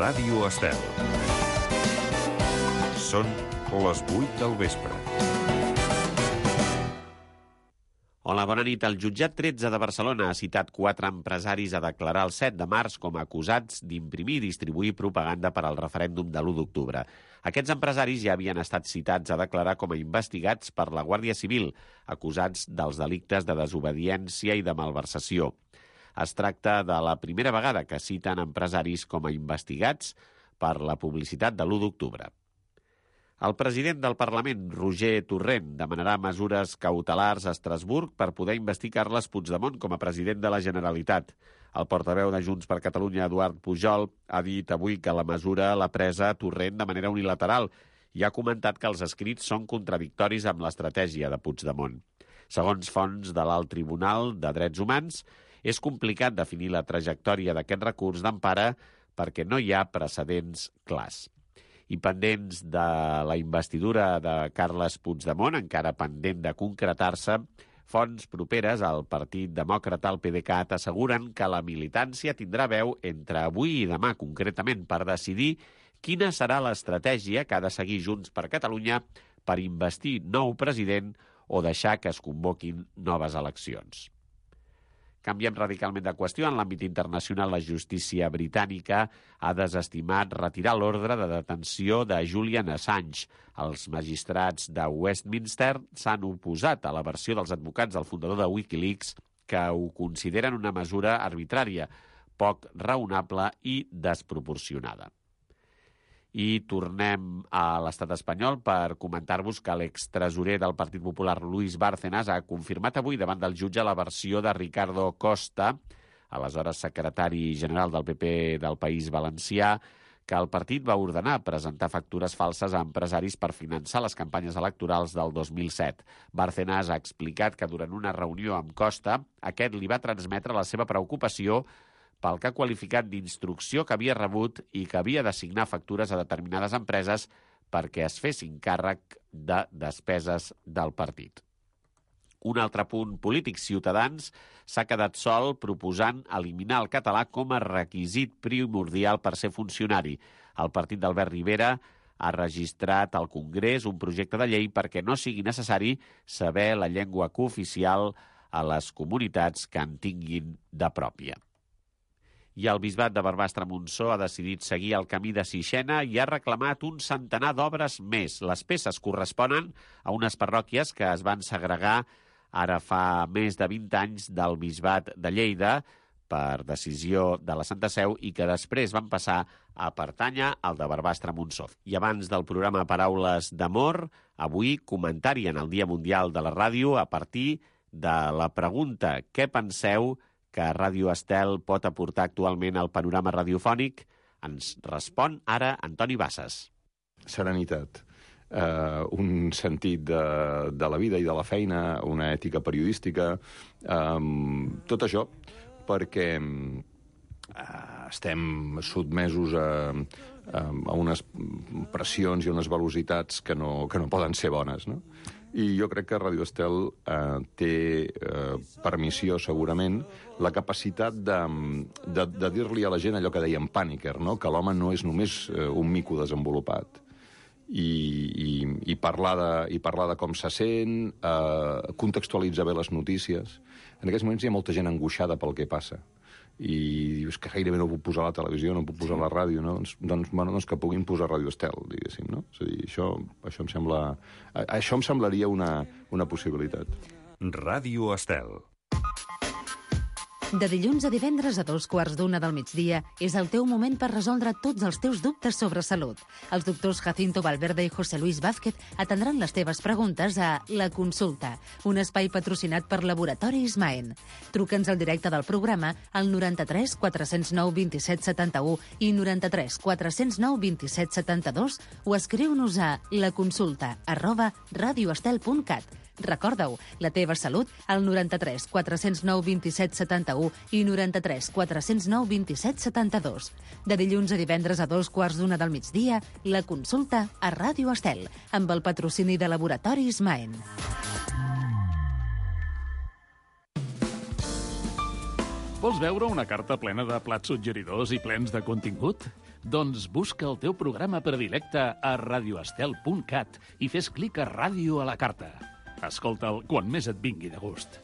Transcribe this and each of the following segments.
Ràdio Estel. Són les 8 del vespre. Hola, bona nit. El jutjat 13 de Barcelona ha citat 4 empresaris a declarar el 7 de març com a acusats d'imprimir i distribuir propaganda per al referèndum de l'1 d'octubre. Aquests empresaris ja havien estat citats a declarar com a investigats per la Guàrdia Civil, acusats dels delictes de desobediència i de malversació. Es tracta de la primera vegada que citen empresaris com a investigats per la publicitat de l'1 d'octubre. El president del Parlament, Roger Torrent, demanarà mesures cautelars a Estrasburg per poder investir Carles Puigdemont com a president de la Generalitat. El portaveu de Junts per Catalunya, Eduard Pujol, ha dit avui que la mesura l'ha presa Torrent de manera unilateral i ha comentat que els escrits són contradictoris amb l'estratègia de Puigdemont. Segons fonts de l'Alt Tribunal de Drets Humans, és complicat definir la trajectòria d'aquest recurs d'empara perquè no hi ha precedents clars. I pendents de la investidura de Carles Puigdemont, encara pendent de concretar-se, fonts properes al Partit Demòcrata, el PDeCAT, asseguren que la militància tindrà veu entre avui i demà, concretament, per decidir quina serà l'estratègia que ha de seguir Junts per Catalunya per investir nou president o deixar que es convoquin noves eleccions. Canviem radicalment de qüestió. En l'àmbit internacional, la justícia britànica ha desestimat retirar l'ordre de detenció de Julian Assange. Els magistrats de Westminster s'han oposat a la versió dels advocats del fundador de Wikileaks, que ho consideren una mesura arbitrària, poc raonable i desproporcionada. I tornem a l'estat espanyol per comentar-vos que l'extresorer del Partit Popular, Luis Bárcenas, ha confirmat avui davant del jutge la versió de Ricardo Costa, aleshores secretari general del PP del País Valencià, que el partit va ordenar presentar factures falses a empresaris per finançar les campanyes electorals del 2007. Bárcenas ha explicat que durant una reunió amb Costa, aquest li va transmetre la seva preocupació pel que ha qualificat d'instrucció que havia rebut i que havia d'assignar factures a determinades empreses perquè es fessin càrrec de despeses del partit. Un altre punt polític, Ciutadans s'ha quedat sol proposant eliminar el català com a requisit primordial per ser funcionari. El partit d'Albert Rivera ha registrat al Congrés un projecte de llei perquè no sigui necessari saber la llengua cooficial a les comunitats que en tinguin de pròpia. I el bisbat de Barbastre-Montsó ha decidit seguir el camí de Sixena i ha reclamat un centenar d'obres més. Les peces corresponen a unes parròquies que es van segregar ara fa més de 20 anys del bisbat de Lleida per decisió de la Santa Seu i que després van passar a pertànyer al de Barbastre-Montsó. I abans del programa Paraules d'Amor, avui comentari en el Dia Mundial de la Ràdio a partir de la pregunta «Què penseu que Ràdio Estel pot aportar actualment al panorama radiofònic?» Ens respon ara Antoni Bassas. Serenitat, un sentit de la vida i de la feina, una ètica periodística, tot això perquè estem sotmesos a unes pressions i unes velocitats que no poden ser bones, no? I jo crec que Ràdio Estel té per missió, segurament, la capacitat de dir-li a la gent allò que dèiem Pàniker, no? Que l'home no és només un mico desenvolupat. I parlar de com se sent, contextualitzar bé les notícies. En aquests moments hi ha molta gent angoixada pel que passa. I dius que gairebé no puc posar a la televisió, no puc posar a la ràdio, no? Doncs que puguin posar Ràdio Estel, diguéssim, no? És a dir, això em semblaria una possibilitat. Ràdio Estel. De dilluns a divendres a 2:15 del migdia és el teu moment per resoldre tots els teus dubtes sobre salut. Els doctors Jacinto Valverde i José Luis Vázquez atendran les teves preguntes a La Consulta, un espai patrocinat per Laboratoris Maen. Truca'ns al directe del programa al 93 409 27 71 i 93 409 27 72 o escriu-nos a laconsulta@radioestel.cat. Recorda-ho, la teva salut al 93 409 27 71 i 93 409 27 72. De dilluns a divendres a 2:15 del migdia, La Consulta a Ràdio Estel, amb el patrocini de Laboratoris Maen. Vols veure una carta plena de plats suggeridors i plens de contingut? Doncs busca el teu programa predilecte a radioestel.cat i fes clic a Ràdio a la carta. Escolta'l quan més et vingui de gust.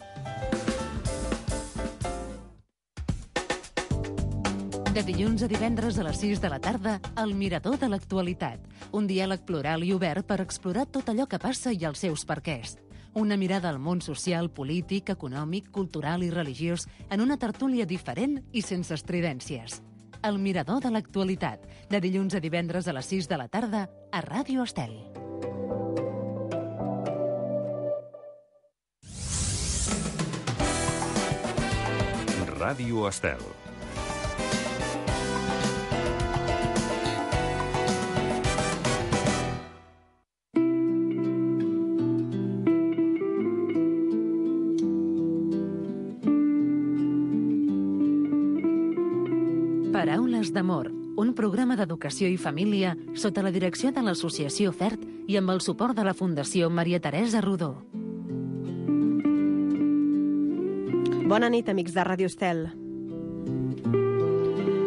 De dilluns a divendres a les 6 de la tarda, El Mirador de l'Actualitat. Un diàleg plural i obert per explorar tot allò que passa i els seus perquès. Una mirada al món social, polític, econòmic, cultural i religiós en una tertúlia diferent i sense estridències. El Mirador de l'Actualitat. De dilluns a divendres a les 6 de la tarda a Ràdio Estel. Ràdio Estel. Paraules d'amor, un programa d'educació i família sota la direcció de l'Associació FERT i amb el suport de la Fundació Maria Teresa Rodó. Bona nit, amics de Ràdio Estel.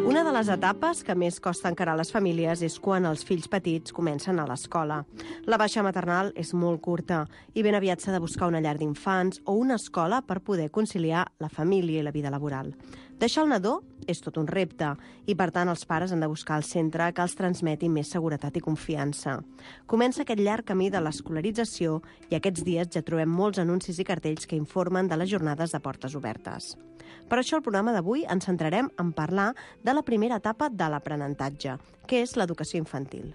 Una de les etapes que més costa encarar a les famílies és quan els fills petits comencen a l'escola. La baixa maternal és molt curta i ben aviat s'ha de buscar una llar d'infants o una escola per poder conciliar la família i la vida laboral. Deixar el nadó és tot un repte i, per tant, els pares han de buscar el centre que els transmeti més seguretat i confiança. Comença aquest llarg camí de l'escolarització i aquests dies ja trobem molts anuncis i cartells que informen de les jornades de portes obertes. Per això, al programa d'avui ens centrarem en parlar de la primera etapa de l'aprenentatge, que és l'educació infantil.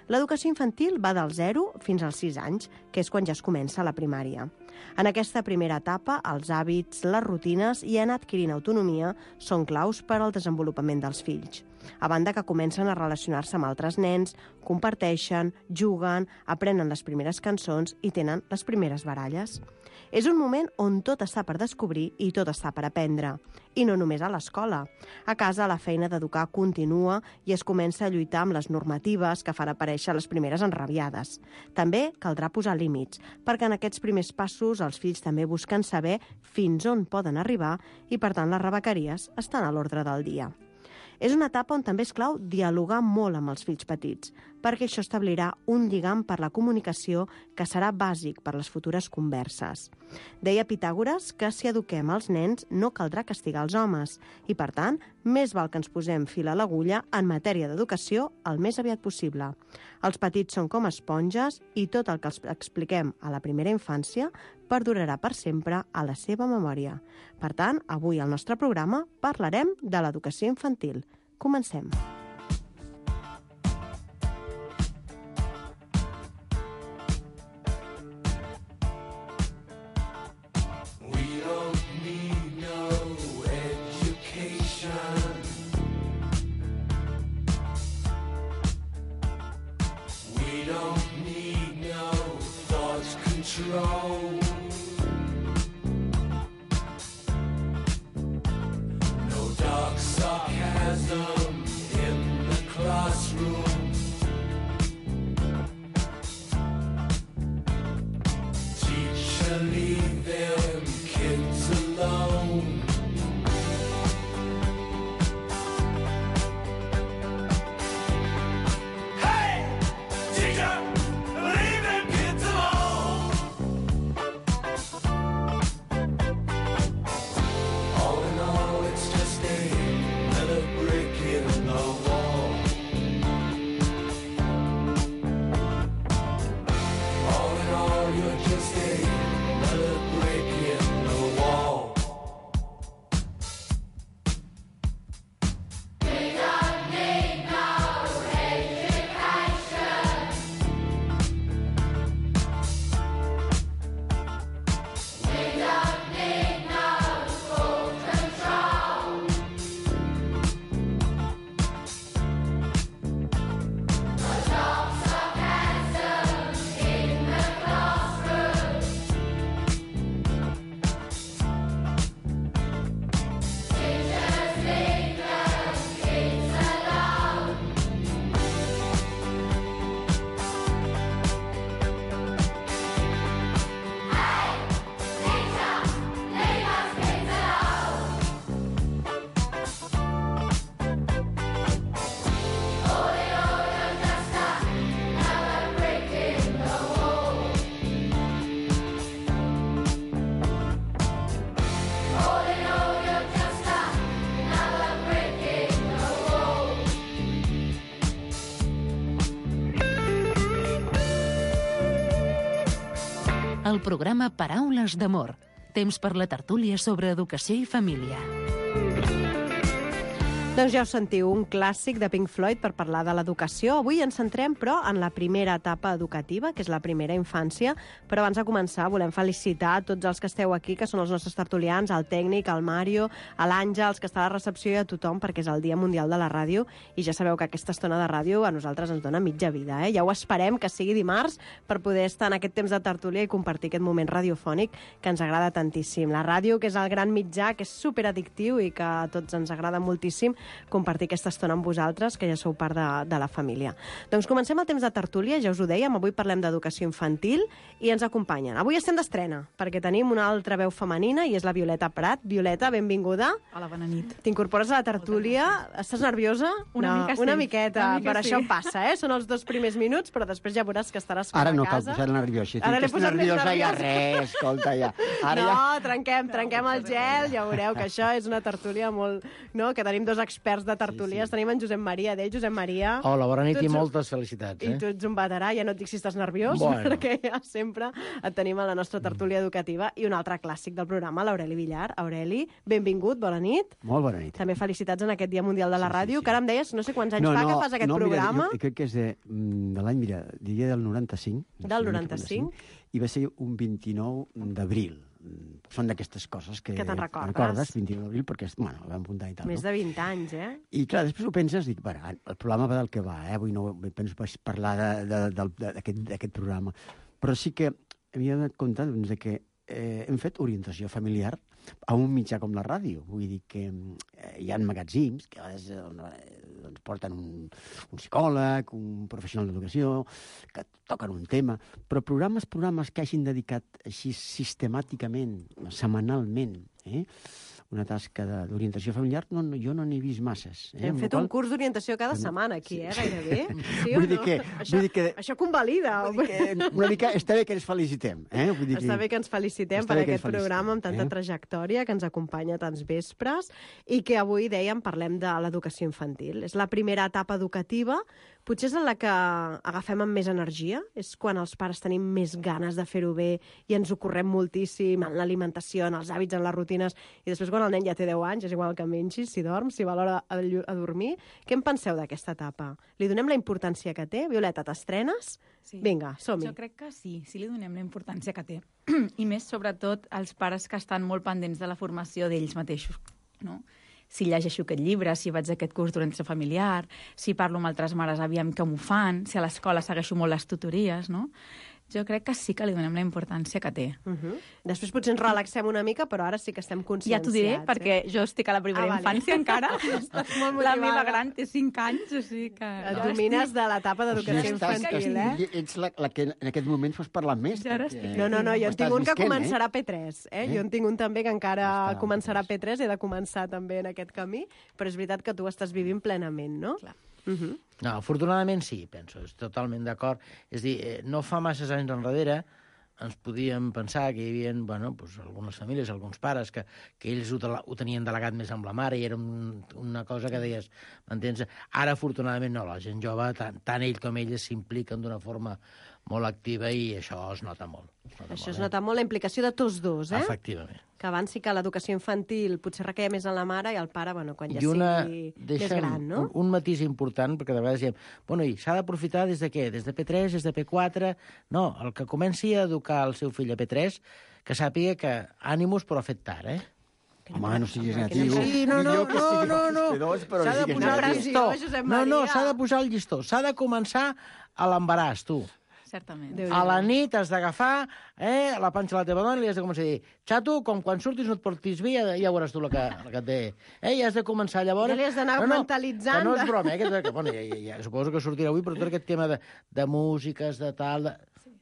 L'educació infantil va del 0 fins als 6 anys, que és quan ja es comença la primària. En aquesta primera etapa, els hàbits, les rutines i anar adquirint autonomia són claus per al desenvolupament dels fills. A banda que comencen a relacionar-se amb altres nens, comparteixen, juguen, aprenen les primeres cançons i tenen les primeres baralles. És un moment on tot està per descobrir i tot està per aprendre. I no només a l'escola. A casa la feina d'educar continua i es comença a lluitar amb les normatives que fan aparèixer les primeres enrabiades. També caldrà posar límits, perquè en aquests primers passos els fills també busquen saber fins on poden arribar i, per tant, les rebequeries estan a l'ordre del dia. És una etapa on també és clau dialogar molt amb els fills petits, perquè això establirà un lligam per la comunicació que serà bàsic per les futures converses. Deia Pitàgores que si eduquem els nens no caldrà castigar els homes i, per tant, més val que ens posem fil a l'agulla en matèria d'educació el més aviat possible. Els petits són com esponges i tot el que els expliquem a la primera infància perdurarà per sempre a la seva memòria. Per tant, avui al nostre programa parlarem de l'educació infantil. Comencem. el programa Paraules d'Amor. Temps per la tertúlia sobre educació i família. Doncs ja ho sentiu, un clàssic de Pink Floyd per parlar de l'educació. Avui ens centrem, però, en la primera etapa educativa, que és la primera infància. Però abans de començar, volem felicitar tots els que esteu aquí, que són els nostres tertulians, el tècnic, el Mario, l'Àngels, que està a la recepció, i a tothom, perquè és el Dia Mundial de la Ràdio. I ja sabeu que aquesta estona de ràdio a nosaltres ens dona mitja vida. Ja ho esperem que sigui dimarts per poder estar en aquest temps de tertúlia i compartir aquest moment radiofònic que ens agrada tantíssim. La ràdio, que és el gran mitjà, que és superaddictiu i que a tots ens agrada moltíssim compartir aquesta estona amb vosaltres, que ja sou part de la família. Doncs comencem el temps de tertúlia, ja us ho dèiem, avui parlem d'educació infantil i ens acompanyen. Avui estem d'estrena, perquè tenim una altra veu femenina i és la Violeta Prat. Violeta, benvinguda. Hola, bona nit. T'incorpores a la tertúlia. Estàs nerviosa? Una mica sí. Una miqueta, Una mica per sí. això passa, Són els 2 primers minuts, però després ja veuràs que estaràs fora Ara no de cal casa. posar nerviós. Si Ara l'he estàs posat més nerviosa ja nerviosa. res, escolta, ja. Ara No, ja... trenquem el gel, ja veureu que això és una tertúlia molt... No? Que tenim 2 experts de tertúlies. Tenim en Josep Maria d'ell. Josep Maria... Hola, bona nit Tu i ets un- moltes felicitats. I tu ets un veterà, ja no et dic si estàs nerviós, Bueno. perquè ja sempre et tenim a la nostra tertúlia educativa. I un altre clàssic del programa, l'Aureli Villar. Aureli, benvingut, bona nit. Molt bona nit. També felicitats en aquest Dia Mundial de la Ràdio, que ara em deies, no sé quants anys fa que fas aquest programa. Mira, jo crec que és de l'any, mira, diria del 95. Del 95. I va ser un 29 d'abril. Són d'aquestes coses que... Que te'n recordes. Recordes, 29 d'abril, perquè, bueno, el vam apuntar i tal. Més de 20 anys, I clar, després ho penses, dic, bueno, el programa va del que va, avui no penso parlar d'aquest programa, però sí que havia de comptar doncs, de que hem fet orientació familiar a un mitjà com la ràdio. Vull dir que hi ha magatzims que a vegades doncs, porten un psicòleg, un professional d'educació, que toquen un tema, però programes que hagin dedicat així sistemàticament, setmanalment, una tasca d'orientació familiar, jo no n'he vist masses. Hem fet un curs d'orientació cada setmana aquí, gairebé. Sí o Vull no? dir que... Això convalida. Una mica està bé que ens felicitem. Vull dir Està bé que ens felicitem per aquest programa amb tanta trajectòria, que ens acompanya tants vespres, i que avui, dèiem, parlem de l'educació infantil. És la primera etapa educativa, potser és en la que agafem amb més energia, és quan els pares tenim més ganes de fer-ho bé i ens ho correm moltíssim en l'alimentació, en els hàbits, en les rutines, i després quan el nen ja té 10 anys, és igual que mengis, si dorms, si va a l'hora a dormir. Què en penseu d'aquesta etapa? Li donem la importància que té? Violeta, t'estrenes? Sí. Vinga, som-hi. Jo crec que sí li donem la importància que té. I més, sobretot, als pares que estan molt pendents de la formació d'ells mateixos, no? Si llegeixo aquest llibre, si vaig a aquest curs d'orientació familiar, si parlo amb altres mares, aviam com ho fan, si a l'escola segueixo molt les tutories, no? Jo crec que sí que li donem la importància que té. Després potser ens relaxem una mica, però ara sí que estem conscienciats. Ja t'ho diré, perquè jo estic a la primera infància encara. Estàs molt La motivada. meva gran té 5 anys, o sigui que... Et domines de l'etapa d'educació infantil, Ets la que en aquest moment fos parlar més. Ja ara perquè No, jo ho en tinc estàs un que visquent, començarà P3, Jo en tinc un també que encara Està, començarà P3, he de començar també en aquest camí, però és veritat que tu estàs vivint plenament, no? Clar. No, afortunadament sí, penso, és totalment d'acord. És a dir, no fa masses anys enrere ens podíem pensar que hi havia algunes famílies, alguns pares, que ells ho tenien delegat més amb la mare i era una cosa que deies, m'entens? Ara, afortunadament, no, la gent jove, tant ell com elles s'impliquen d'una forma molt activa i això es nota molt. Això es nota molt la implicació de tots dos, Efectivament. Que abans sí que l'educació infantil potser requeia més en la mare i el pare, quan ja I sigui més gran, no? Un matís important, perquè de vegades diem, i s'ha d'aprofitar des de què? Des de P3, des de P4? No, el que comenci a educar el seu fill a P3, que sàpiga que ànimus però fet tard, Home, no siguis negatiu. Sí, no. S'ha de posar el llistó. S'ha de posar el llistó. S'ha de començar a l'embaràs, tu. Certament. A la nit has d'agafar la panxa de la teva dona i li has de començar a dir, xato, com quan surtis no et portis bé, ja veuràs tu la que et ve. I has de començar llavors... Ja li has d'anar mentalitzant. Que no és broma, ja suposo que sortirà avui, però tot aquest tema de músiques, de tal...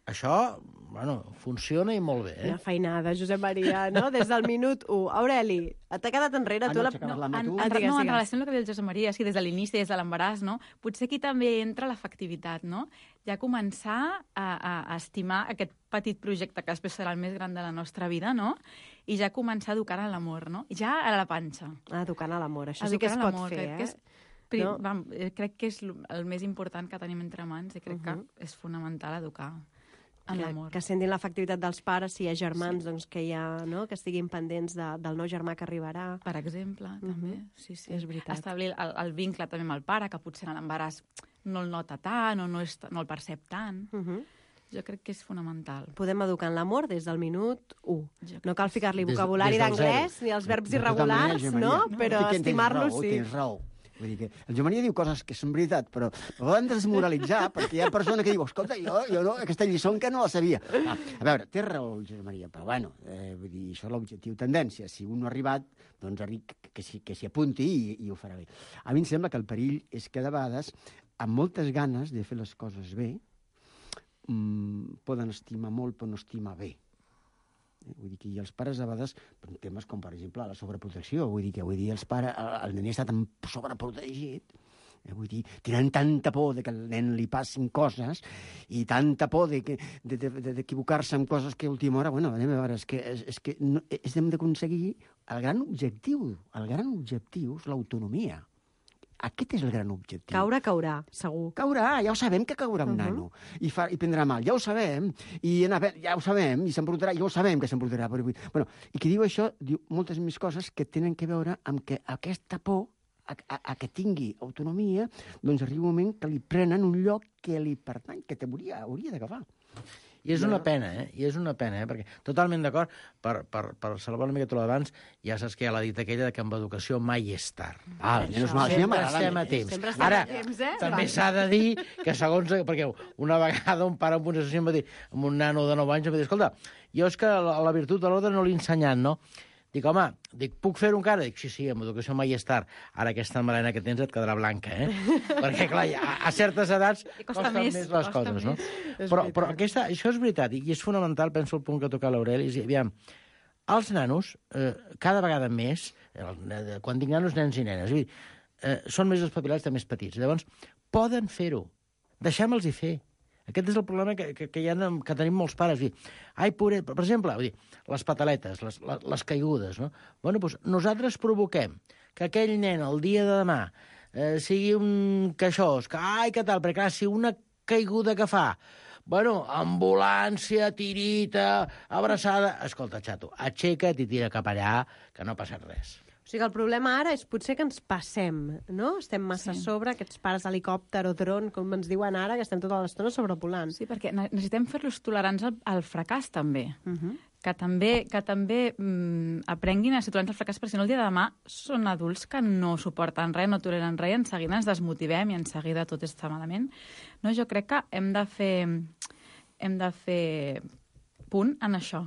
Això, funciona i molt bé, Quina feinada, Josep Maria, no? Des del minut 1. Aureli, t'ha quedat enrere? En relació amb el que diu el Josep Maria, des de l'inici, des de l'embaràs, no? Potser aquí també entra l'afectivitat, no? Ja començar a estimar aquest petit projecte que després serà el més gran de la nostra vida, no? I ja començar a educar a l'amor, no? Ja a la panxa. Educant a l'amor, això sí que es pot fer, Crec que és el més important que tenim entre mans i crec que és fonamental educar. En l'amor. Que sentin l'afectivitat dels pares, si hi ha germans, doncs que que estiguin pendents del nou germà que arribarà. Per exemple, també. Sí. És veritat. Establir el vincle també amb el pare, que potser en l'embaràs no el nota tant o no el percep tant. Jo crec que és fonamental. Podem educar en l'amor des del minut 1. No cal ficar-li Des vocabulari del d'anglès ni els verbs irregulars, no? Però estimar-los sí. Tens raó. Vull dir que el Joan Maria diu coses que són veritat, però poden desmoralitzar, perquè hi ha persones que diuen, escolta, jo no, aquesta lliçó que no la sabia. A veure, té raó el Joan Maria, però bueno, vull dir, això és l'objectiu tendència. Si un no ha arribat, doncs que s'hi apunti i ho farà bé. A mi em sembla que el perill és que de vegades, amb moltes ganes de fer les coses bé, poden estimar molt però no estimar bé. Vull dir que els pares a vegades, per temes com per exemple la sobreprotecció, vull dir els pares, el nen està tan sobreprotegit, vull dir, tenen tanta por de que al nen li passin coses i tanta por d'equivocar-se amb coses que a última hora, bueno, anem a veure, és que hem d'aconseguir el gran objectiu és l'autonomia. Aquest és el gran objectiu. Caurà, segur. Caurà, ja ho sabem que caurà un nano. I prendrà mal, ja ho sabem. Ja ho sabem, i s'embrutarà, ja ho sabem que s'embrutarà. Bueno, i qui diu això, diu moltes més coses que tenen que veure amb que aquesta por a que tingui autonomia, doncs arriba un moment que li prenen un lloc que li pertany, que hauria d'agafar. I és una pena, perquè totalment d'acord, per salvar una mica tot l'abans, ja saps que hi ha la dita aquella que amb educació mai és tard. Sempre estem a temps. Ara, també s'ha de dir que segons... Perquè una vegada un pare amb una sessió em va dir, amb un nano de 9 anys, em va dir, escolta, jo és que la virtut de l'ordre no l'he ensenyat, no? Dic, home, puc fer-ho encara? Dic, sí, amb educació mai és tard. Ara aquesta melena que tens et quedarà blanca, Perquè, clar, a certes edats costen més les coses, no? Però això és veritat, i és fonamental, penso el punt que toca l'Aureli, és, aviam, els nanos, cada vegada més, quan dic nanos, nens i nenes, són més espavilats de més petits. Llavors, poden fer-ho. Deixem-los-hi fer. Aquest és el problema que tenim molts pares. Ai, pobret, per exemple, les pataletes, les caigudes, no? Bueno, doncs nosaltres provoquem que aquell nen el dia de demà sigui un queixós, que tal, perquè clar, si una caiguda que fa, bueno, ambulància, tirita, abraçada... Escolta, xato, aixeca't i tira cap allà, que no ha passat res. O sigui, el problema ara és potser que ens passem, no? Estem massa a sobre, aquests pares helicòpter o dron, com ens diuen ara, que estem tota l'estona sobrevolant. Sí, perquè necessitem fer-los tolerants al fracàs, també. Que també aprenguin a ser tolerants al fracàs, perquè si no el dia de demà són adults que no suporten res, no toleren res, i en seguida ens desmotivem i en seguida tot està malament. No, jo crec que hem de fer punt en això,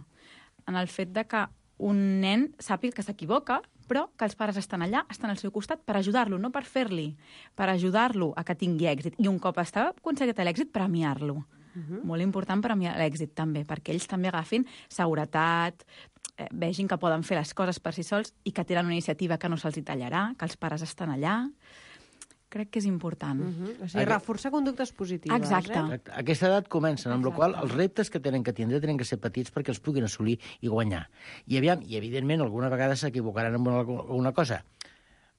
en el fet de que un nen sàpiga que s'equivoca, però que els pares estan allà, estan al seu costat per ajudar-lo, no per fer-li, per ajudar-lo a que tingui èxit. I un cop està aconseguit l'èxit, premiar-lo. Molt important premiar l'èxit, també, perquè ells també agafin seguretat, vegin que poden fer les coses per si sols i que tenen una iniciativa que no se'ls tallarà, que els pares estan allà. Crec que és important. O sigui, reforçar conductes positives. Exacte. A aquesta edat comencen, amb la qual els reptes que tenen que tindre tenen que ser petits perquè els puguin assolir i guanyar. I evidentment, alguna vegada s'equivocaran en alguna cosa.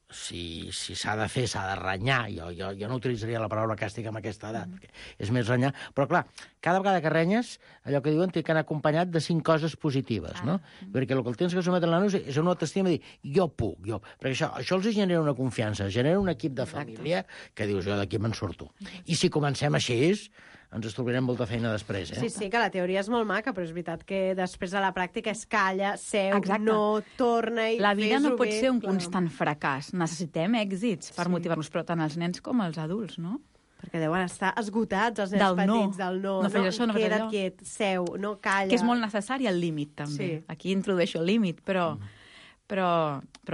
Si s'ha de fer, s'ha de renyar. Jo no utilitzaria la paraula càstig en aquesta edat, perquè és més renyar. Però, clar, cada vegada que renyes, allò que diuen té que anar acompanyat de 5 coses positives, no? Perquè el que el tens que sometre a l'anus és una autoestima de dir, jo puc, jo... Perquè això els genera una confiança, genera un equip de família que dius, jo d'aquí me'n surto. I si comencem així, ens estalviarem molta feina després, Sí, que la teoria és molt maca, però és veritat que després de la pràctica es calla, seu, no, torna i la vida no pot ser un clar. constant fracàs. Necessitem èxits per motivar-nos, però tant els nens com els adults, no? Perquè deuen estar esgotats els nens petits del no. No fes això, no fes allò. Queda't quiet, seu, no, calla. Que és molt necessari el límit, també. Sí. Aquí introdueixo el límit, però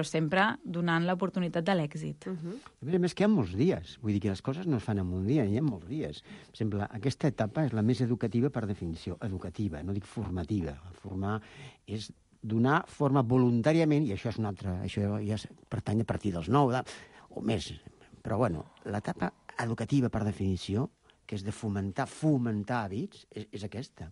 sempre donant l'oportunitat de l'èxit. A més que hi ha molts dies. Vull dir que les coses no es fan en un dia, hi ha molts dies. Per exemple, aquesta etapa és la més educativa per definició. Educativa, no dic formativa. Formar és donar forma voluntàriament, i això és una altra... Això ja pertany a partir dels 9 o més. Però, bueno, l'etapa educativa per definició, que és de fomentar hàbits, és aquesta.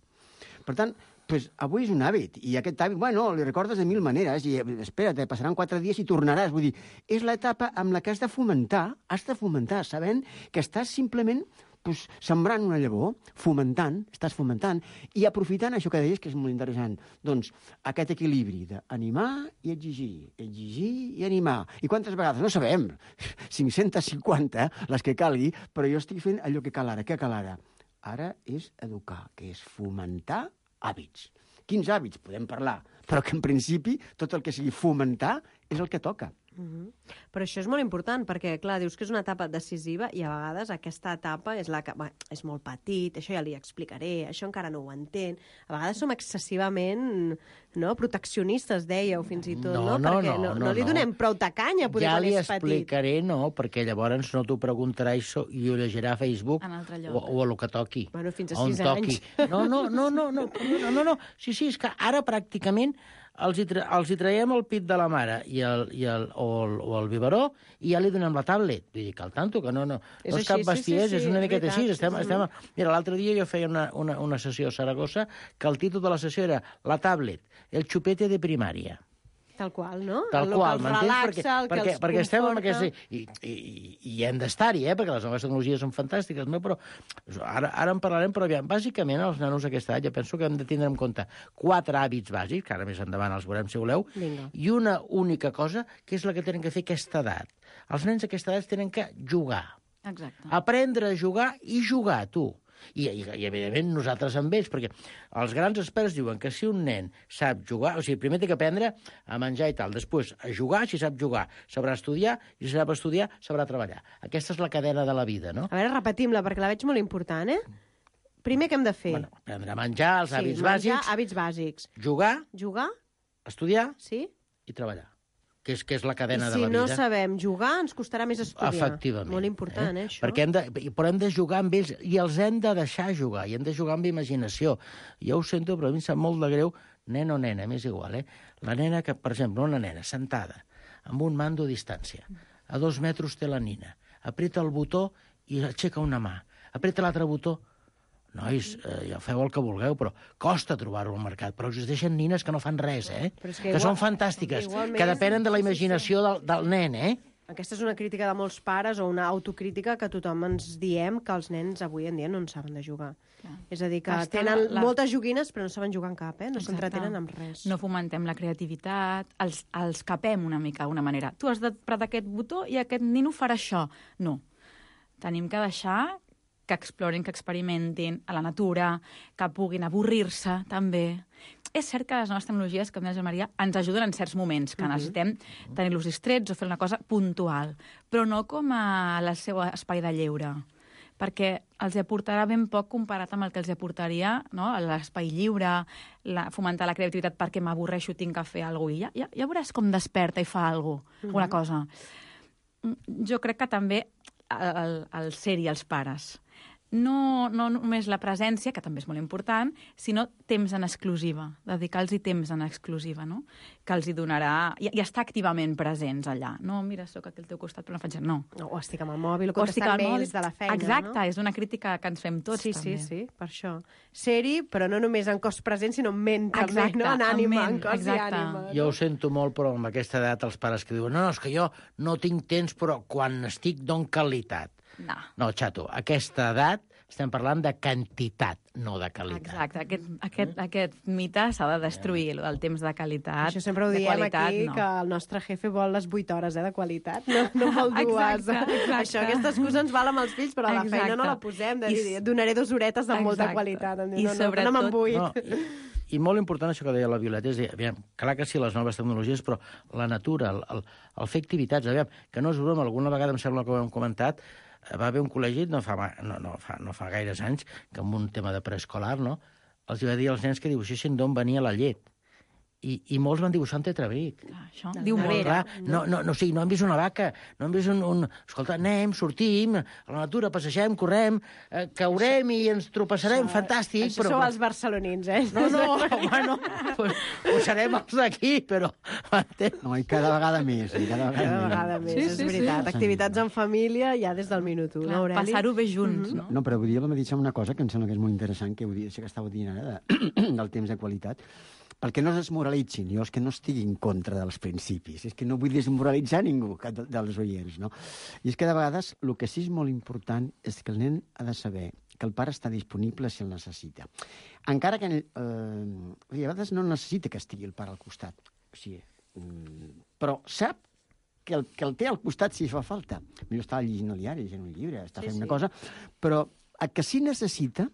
Per tant, pues, avui és un hàbit, i aquest hàbit, bueno, li recordes de 1000 maneres, i espera't, passaran 4 dies i tornaràs. Vull dir, és l'etapa amb la que has de fomentar, sabent que estàs simplement pues, sembrant una llavor, estàs fomentant, i aprofitant això que deies, que és molt interessant, doncs aquest equilibri d'animar i exigir i animar. I quantes vegades? No sabem, 550, les que calgui, però jo estic fent allò que cal ara. Què cal ara? Ara és educar, que és fomentar hàbits. Quins hàbits? Podem parlar, però que en principi tot el que sigui fomentar és el que toca. Però això és molt important, perquè, clar, dius que és una etapa decisiva i a vegades aquesta etapa és la que és molt petit, això ja li explicaré, això encara no ho entén. A vegades som excessivament proteccionistes, dèieu, fins i tot, perquè no li donem prou tacanya, poder quan és petit. Ja li explicaré, perquè llavors no t'ho preguntarà i ho llegirà a Facebook o a lo que toqui. Bueno, fins a 6 anys. No. Sí, és que ara pràcticament els hi traiem el pit de la mare o el biberó i ja li donem la tablet. Vull dir que al tanto, que no és cap bestiesa, és una miqueta així. Mira, l'altre dia jo feia una sessió a Saragossa que el títol de la sessió era La tablet, el chupete de primària. Tal qual, no? Tal qual, m'entens? Perquè estem amb conforta. I hem d'estar-hi, perquè les noves tecnologies són fantàstiques, no? Però ara en parlarem, però aviam, bàsicament els nanos d'aquesta edat, jo penso que hem de tindre en compte 4 hàbits bàsics, que ara més endavant els veurem si voleu, i una única cosa, que és la que tenen que fer aquesta edat. Els nens d'aquesta edat tenen que jugar. Exacte. Aprendre a jugar i jugar, tu. I evidentment, nosaltres amb ells, perquè els grans experts diuen que si un nen sap jugar, o sigui, primer té que aprendre a menjar i tal, després a jugar, si sap jugar, sabrà estudiar, i si sap estudiar, sabrà treballar. Aquesta és la cadena de la vida, no? A veure, repetim-la, perquè la veig molt important, Primer, què hem de fer? Bueno, aprendre a menjar, els hàbits bàsics. Hàbits bàsics. Jugar, estudiar i treballar. Que és la cadena de la vida. I si no sabem jugar, ens costarà més estudiar. Efectivament. Molt important, això. Perquè però hem de jugar amb ells i els hem de deixar jugar, i hem de jugar amb imaginació. Jo ho sento, però a mi em sap molt de greu, nen o nena, m'és igual, La nena que, per exemple, una nena sentada amb un mando a distància, a 2 metres té la nina, apreta el botó i aixeca una mà, apreta l'altre botó. Nois, ja feu el que vulgueu, però costa trobar-ho al mercat. Però existeixen nines que no fan res, que són fantàstiques, que depenen de la imaginació del nen, Aquesta és una crítica de molts pares o una autocrítica que tothom ens diem que els nens avui en dia no en saben de jugar. És a dir, que tenen moltes joguines però no saben jugar en cap, no s'entretenen amb res. No fomentem la creativitat, els capem una mica d'una manera. Tu has d'apretar aquest botó i aquest nino farà això. No. Tenim que deixar que explorin, que experimentin a la natura, que puguin avorrir-se, també. És cert que les noves tecnologies, com deia Maria, ens ajuden en certs moments, que necessitem tenir-los distrets o fer una cosa puntual, però no com a el seu espai de lleure, perquè els aportarà ben poc comparat amb el que els aportaria l'espai lliure, fomentar la creativitat perquè m'avorreixo, tinc que fer alguna cosa. Ja veuràs com desperta i fa alguna cosa. Jo crec que també el ser-hi els pares. No només la presència, que també és molt important, sinó temps en exclusiva, dedicar-los temps en exclusiva, no? Que els hi donarà... I estar activament presents allà. No, mira, sóc aquí al teu costat, però no faig res. No. O estic amb el mòbil, o contestant mails de la feina. Exacte, és una crítica que ens fem tots, també. Sí, per això. Ser-hi, però no només en cos present, sinó en ment, també, no? En ànima, en cos i ànima. Jo ho sento molt, però amb aquesta edat els pares que diuen és que jo no tinc temps, però quan estic dono qualitat. No, xato, aquesta edat estem parlant de quantitat, no de qualitat. Exacte, aquest mite s'ha de destruir, el temps de qualitat. Això sempre ho diem aquí, que el nostre jefe vol les 8 hores de qualitat, no vol 2. Això, aquesta excusa ens val amb els fills, però a la feina no la posem, de dir, donaré 2 horetes de molta qualitat. No me'n vull. I molt important això que deia la Violeta, és dir, clar que sí, les noves tecnologies, però la natura, el fer activitats, que no és broma, alguna vegada em sembla que ho hem comentat, va haver un col·legi, no fa gaires anys, que amb un tema de preescolar, els va dir als nens que dibuixessin d'on venia la llet. I molts van dibuixar un tetrabric. Això diu molt. No han vist una vaca, no han vist un... Escolta, anem, sortim, a la natura, passegem, correm, caurem i ens tropeçarem, fantàstic, però... Això sou els barcelonins, No, ho serem els d'aquí, però... No, i cada vegada més, Cada vegada més, és veritat. Activitats en família ja des del minut 1, no, Aureli? Passar-ho bé junts, no? No, però vull dir, m'ha dit una cosa que em sembla que és molt interessant, que això que estàveu dient ara, del temps de qualitat, perquè no es desmoralitzin, jo és que no estigui en contra dels principis, és que no vull desmoralitzar ningú dels oients, no? I és que de vegades el que sí és molt important és que el nen ha de saber que el pare està disponible si el necessita. Encara que a vegades no necessita que estigui el pare al costat, o sigui, però sap que el té al costat si fa falta. Millor està llegint el diari, llegint un llibre, està fent una cosa, però el que sí necessita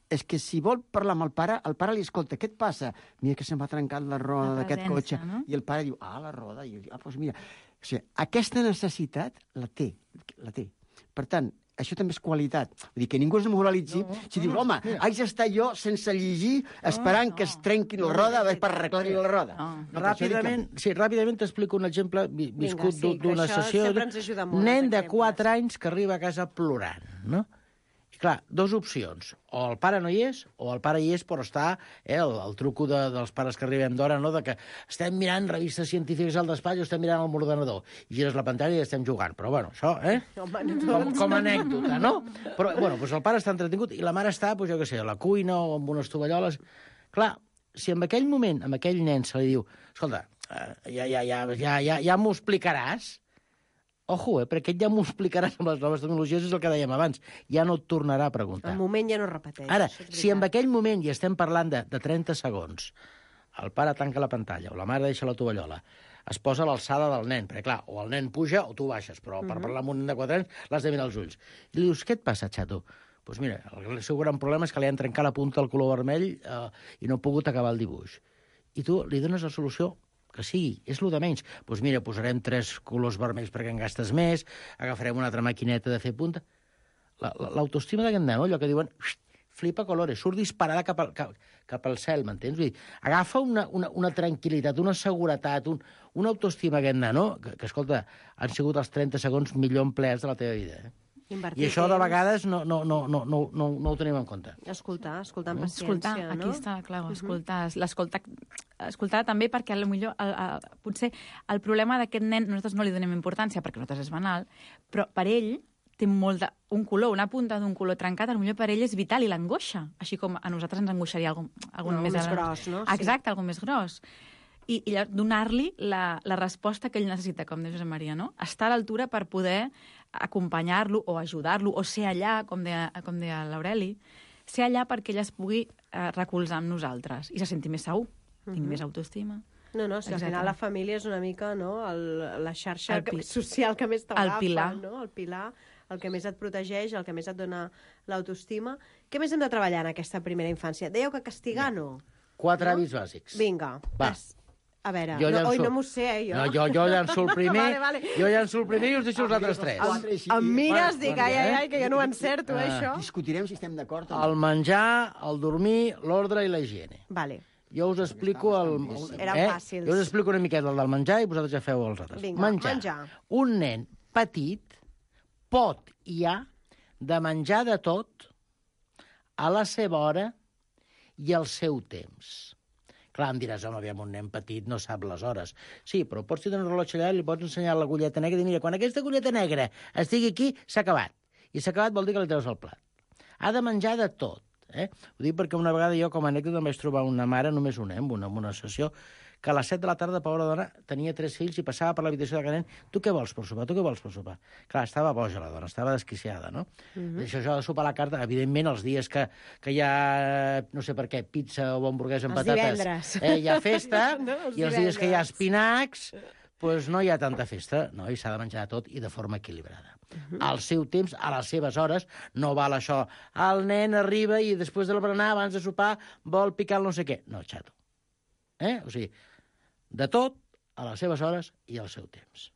és que si vol parlar amb el pare li escolta, què et passa? Mira que se'm ha trencat la roda d'aquest cotxe. No? I el pare diu, la roda. I diu, doncs mira. O sigui, aquesta necessitat la té. Per tant, això també és qualitat. Vull dir, que ningú es moralitzi si dius, home, haig d'estar jo sense llegir esperant que es trenqui la roda per arreglar-li la roda. Ràpidament t'explico un exemple viscut d'una sessió. Nen de 4 anys que arriba a casa plorant, no? I clar, 2 opcions. O el pare no hi és, o el pare hi és, però està el truco dels pares que arribem d'hora, no?, de que estem mirant revistes científiques al despatx o estem mirant el ordenador. I gires la pantalla i estem jugant. Però, bueno, això, com a anècdota, no? Però, bueno, doncs el pare està entretingut i la mare està, doncs jo què sé, a la cuina o amb unes tovalloles. Clar, si en aquell moment, a aquell nen se li diu, escolta, ja m'ho explicaràs, ojo, perquè ja m'ho explicaràs amb les noves tecnologies, és el que dèiem abans. Ja no et tornarà a preguntar. El moment ja no repeteix. Ara, si en aquell moment, i estem parlant de 30 segons, el pare tanca la pantalla o la mare deixa la tovallola, es posa a l'alçada del nen, perquè clar, o el nen puja o tu baixes, però per parlar amb un nen de 4 anys l'has de mirar als ulls. I li dius, què et passa, xato? Doncs mira, el seu gran problema és que li han trencat la punta del color vermell i no ha pogut acabar el dibuix. I tu li dones la solució que sigui, és el de menys. Doncs mira, posarem 3 colors vermells perquè en gastes més, agafarem una altra maquineta de fer punta. L'autoestima d'aquest nen, allò que diuen flipa colores, surt disparada cap al cel, m'entens? Vull dir, agafa una tranquil·litat, una seguretat, una autoestima aquest nen, que, escolta, han sigut els 30 segons millor empleats de la teva vida, I això de vegades no ho tenim en compte. Escoltar amb paciència, no? Aquí està, clar, escoltar també perquè potser el problema d'aquest nen, nosaltres no li donem importància perquè nosaltres és banal, però per ell té un color, una punta d'un color trencat, potser per ell és vital i l'angoixa, així com a nosaltres ens angoixaria algun més gros, no? Exacte, algun més gros. I donar-li la resposta que ell necessita, com diu Josep Maria, no? Estar a l'altura per poder acompanyar-lo o ajudar-lo o ser allà, com deia l'Aureli, ser allà perquè ell es pugui recolzar amb nosaltres i se senti més segur, tingui més autoestima. No, si al final la família és una mica la xarxa social que més t'agafa, no? El pilar, el que més et protegeix, el que més et dona l'autoestima. Què més hem de treballar en aquesta primera infància? Dèieu que castigar no? 4 hàbits bàsics. Vinga, va. A veure, no m'ho sé, jo. No, jo llanço el primer, jo llanço el primer i us deixo els altres 3. Em mires, dic, ai, que jo no ho encerto, això. Discutirem si estem d'acord. El menjar, el dormir, l'ordre i la higiene. Vale. Jo us explico Eren fàcils. Jo us explico una miqueta el del menjar i vosaltres ja feu els altres. Vinga, menjar. Un nen petit pot i ha de menjar de tot a la seva hora i al seu temps. Clar, em diràs, home, aviam, un nen petit no sap les hores. Sí, però pots tenir un rellotge allà i li pots ensenyar l'agulleta negra i dir, mira, quan aquesta agulleta negra estigui aquí, s'ha acabat. I s'ha acabat vol dir que li treus el plat. Ha de menjar de tot. Ho dic perquè una vegada jo, com a anècdota, em vaig trobar una mare, només una, en una sessió, que a les 7 de la tarda, pobra dona, tenia 3 fills i passava per l'habitació de cada nen. Tu què vols per sopar? Tu què vols per sopar? Clar, estava boja la dona, estava desquiciada, no? Això de sopar a la carta, evidentment, els dies que hi ha, no sé per què, pizza o hamburguesa amb patates, hi ha festa, i els dies que hi ha espinacs, doncs no hi ha tanta festa, no? I s'ha de menjar tot i de forma equilibrada. Al seu temps, a les seves hores, no val això. El nen arriba i després del berenar, abans de sopar, vol picar el no sé què. No, xato. O sigui, de tot, a les seves hores i al seu temps.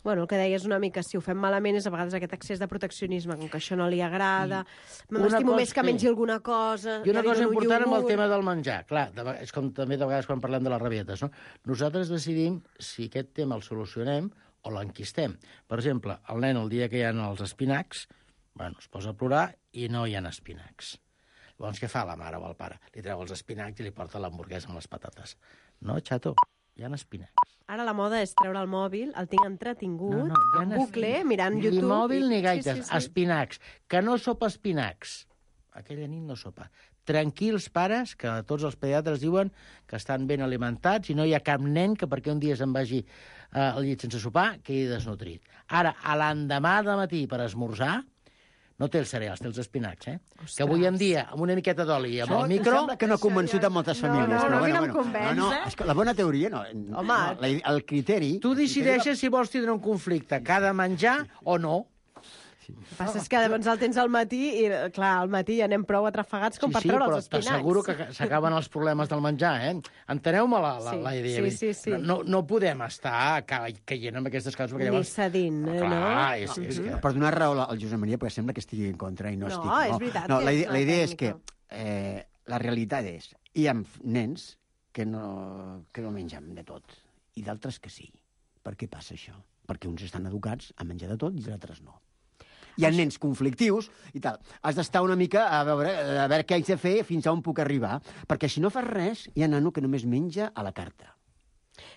Bueno, el que deies una mica, si ho fem malament és a vegades aquest excés de proteccionisme, com que això no li agrada, m'estimo més que mengi alguna cosa... I una cosa important amb el tema del menjar, clar, és com també de vegades quan parlem de les rabietes, no? Nosaltres decidim si aquest tema el solucionem o l'enquistem. Per exemple, el nen, el dia que hi ha els espinacs, es posa a plorar i no hi ha espinacs. Llavors, què fa la mare o el pare? Li treu els espinacs i li porta l'hamburguesa amb les patates. No, xato, hi ha espinacs. Ara la moda és treure el mòbil, el tinc entretingut, en bucle, mirant YouTube... Ni mòbil ni gaites, espinacs. Que no sopa espinacs. Aquella nit no sopa. tranquils pares, que tots els pediatres diuen que estan ben alimentats i no hi ha cap nen que perquè un dia se'n vagi al llit sense sopar quedi desnutrit. Ara, a l'endemà de matí per esmorzar, no té els cereals, té els espinacs, Ostres. Que avui en dia, amb una miqueta d'oli i amb el micro... Sembla que no ha convençut a moltes famílies. no, però a mi no em convenç, No, és que la bona teoria, no. Home. El criteri... Tu decideixes si vols tindre un conflicte que ha de menjar o no. El que passa és que llavors el tens al matí i, clar, al matí ja anem prou atrafegats com per treure els espinacs. Però t'asseguro que s'acaben els problemes del menjar, Enteneu-me la idea. Sí. No podem estar caient en aquestes coses, perquè llavors... Ni cedint, no? Clar, és que... Per donar raó al Josep Maria, perquè sembla que estigui en contra i no estic. No, és veritat. No, que és la idea és tècnica. que la realitat és hi ha nens que no mengen de tot i d'altres que sí. Per què passa això? Perquè uns estan educats a menjar de tot i d'altres no. Hi ha nens conflictius i tal. Has d'estar una mica a veure què haig de fer fins a on puc arribar, perquè si no fas res, hi ha nano que només menja a la carta.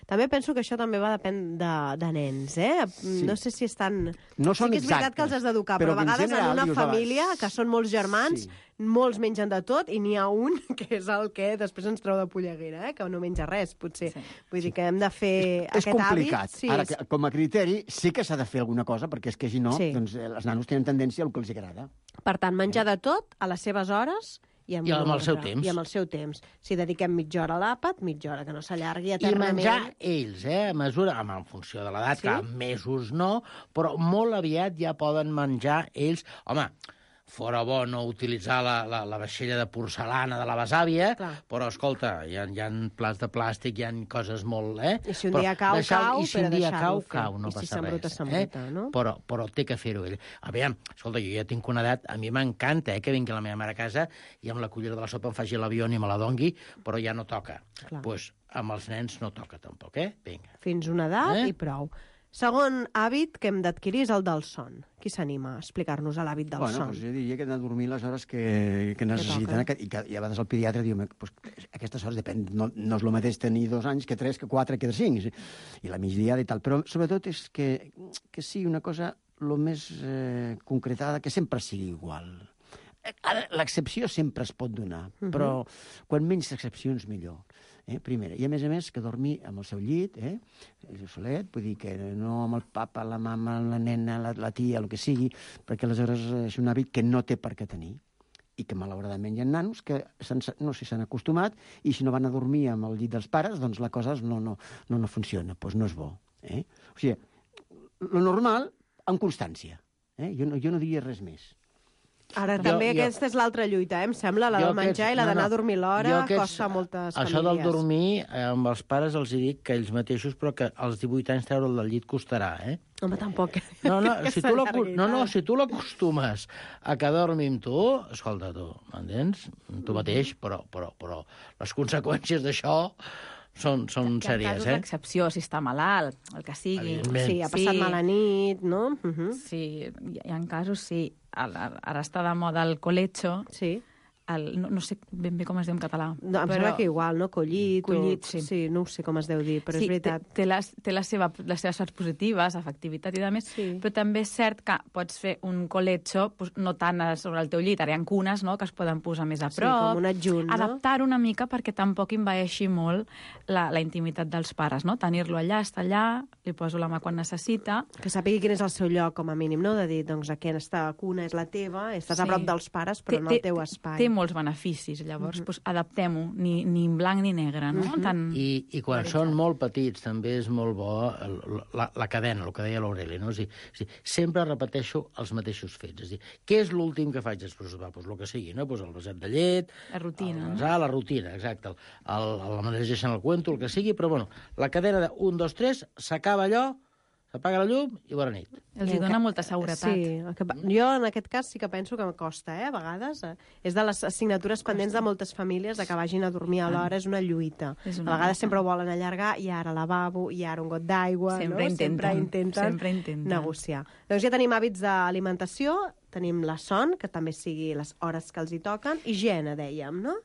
També penso que això també va depèn de nens, Sí. No sé si estan... No són sí que és veritat exactes, que els has d'educar, però però a en vegades general, en una dius, família, que són molts germans, Sí. molts mengen de tot, i n'hi ha un que és el que després ens treu de polleguera, que no menja res, potser. Sí. Vull dir que hem de fer És aquest complicat. hàbit. Sí, Ara, com a criteri, sí que s'ha de fer alguna cosa, perquè és que si no, Sí. doncs, els nanos tenen tendència al que els agrada. Per tant, menjar de tot a les seves hores i amb el seu temps. I amb el seu temps. Si dediquem mitja hora a l'àpat, mitja hora, que no s'allargui I eternament. menjar ells, a mesura, en funció de l'edat, Sí? que en mesos no, però molt aviat ja poden menjar ells. Home, fora bo no utilitzar la vaixella de porcelana de la besàvia, Clar. però, escolta, hi ha plats de plàstic, hi ha coses molt... I si un dia cau, cau, I si un però dia deixar-lo fer. cau, no I si passa s'embruta, res. s'embruta, no? Però té que fer-ho ell. Aviam, escolta, jo ja tinc una edat, a mi m'encanta que vingui la meva mare a casa i amb la cullera de la sopa em faci l'avió i me la dongui, però ja no toca. Clar. Doncs amb els nens no toca tampoc, Vinga. Fins una edat i prou. Segon hàbit que hem d'adquirir és el del son. Qui s'anima a explicar-nos l'hàbit del son? Doncs jo diria que hem de dormir les hores que necessiten, i a vegades el pediatre diu pues, aquestes hores depèn, no és el mateix tenir 2 anys que 3, que 4, que 5, i la migdiada i tal, però sobretot és que sigui una cosa el més concretada, que sempre sigui igual. L'excepció sempre es pot donar, però quan menys excepcions millor. Primera. I a més que dormir amb el seu llit, solet, vull dir que no amb el papa, la mama, la nena, la tia, el que sigui, perquè aleshores és un hàbit que no té per què tenir i que malauradament hi ha nanos que no sé si s'han acostumat i si no van a dormir amb el llit dels pares, doncs la cosa no funciona, doncs no és bo. O sigui, lo normal amb constància. Jo no diria res més. Ara també aquesta és l'altra lluita, em sembla, la del menjar i la d'anar a dormir l'hora, costa a moltes famílies. Això del dormir, amb els pares els dic que ells mateixos, però que als 18 anys treure'l del llit costarà, Home, tampoc. Si tu l'acostumes a que dormi amb tu, escolta, tu, m'entens? Tu mateix, però les conseqüències d'això són sèries, Hi ha casos d'excepció, si està malalt, el que sigui. Sí, ha passat mala nit, no? Sí, hi ha casos, sí. Ara està de moda el colecho. Sí. No sé ben bé com es diu en català. No, em sembla que igual, no? Collit, sí. Sí, no ho sé com es deu dir, però és veritat. Té les seves parts positives, efectivitat i demés, però també és cert que pots fer un colecho, no tant sobre el teu llit, ara hi ha cunes, no?, que es poden posar més a prop. Sí, com un adjunt, no? Adaptar una mica perquè tampoc envaeixi molt la intimitat dels pares, no? Tenir-lo allà, estar allà, li poso la mà quan necessita. Que sàpigui quin és el seu lloc, com a mínim, no? De dir, doncs, aquesta cuna és la teva, estàs a prop dels pares, però no el teu espai. Té molts beneficis, llavors adaptem-ho, ni en blanc ni negre, no? I quan són molt petits també és molt bo la cadena, el que deia l'Aureli, no? És dir, sempre repeteixo els mateixos fets. És dir, què és l'últim que faig després de sopar? Doncs el que sigui, no? Doncs el vaset de llet... La rutina. La rutina, exacte. La llegeixen el cuento, el que sigui, però bueno, la cadena de 1, 2, 3, s'acaba allò, s'apaga la llum i bona nit. Els dona molta seguretat. Sí, jo en aquest cas sí que penso que em costa, a vegades. És de les assignatures pendents de moltes famílies de que vagin a dormir a l'hora, és una lluita. A vegades sempre ho volen allargar, i ara lavabo, i ara un got d'aigua, no? Sempre intenten negociar. Doncs ja tenim hàbits d'alimentació, tenim la son, que també sigui les hores que els hi toquen, higiene, dèiem, no?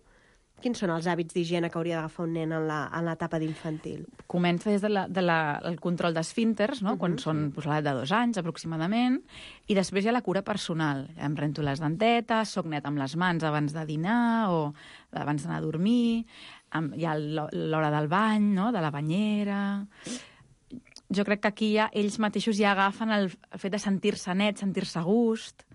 Quins són els hàbits d'higiene que hauria d'agafar un nen en l'etapa d'infantil? Comença des del control d'esfínters, no? Quan són l'edat de 2 anys, aproximadament, i després hi ha la cura personal. Em rento les dentetes, soc net amb les mans abans de dinar o abans d'anar a dormir, hi ha l'hora del bany, no? De la banyera... Jo crec que aquí ells mateixos ja agafen el fet de sentir-se net, sentir-se a gust,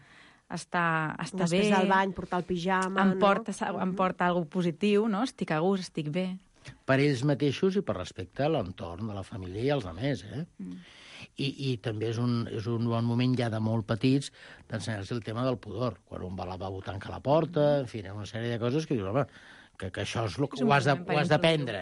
estar bé. Després del bany, portar el pijama... Em porta alguna positiu, no? Estic a gust, estic bé. Per ells mateixos i per respecte a l'entorn de la família i als altres, I també és un bon moment ja de molt petits d'ensenyar-se el tema del pudor. Quan un va al lavabo tanca la porta, en fi, una sèrie de coses que dius, home, que això és el que ho has d'aprendre,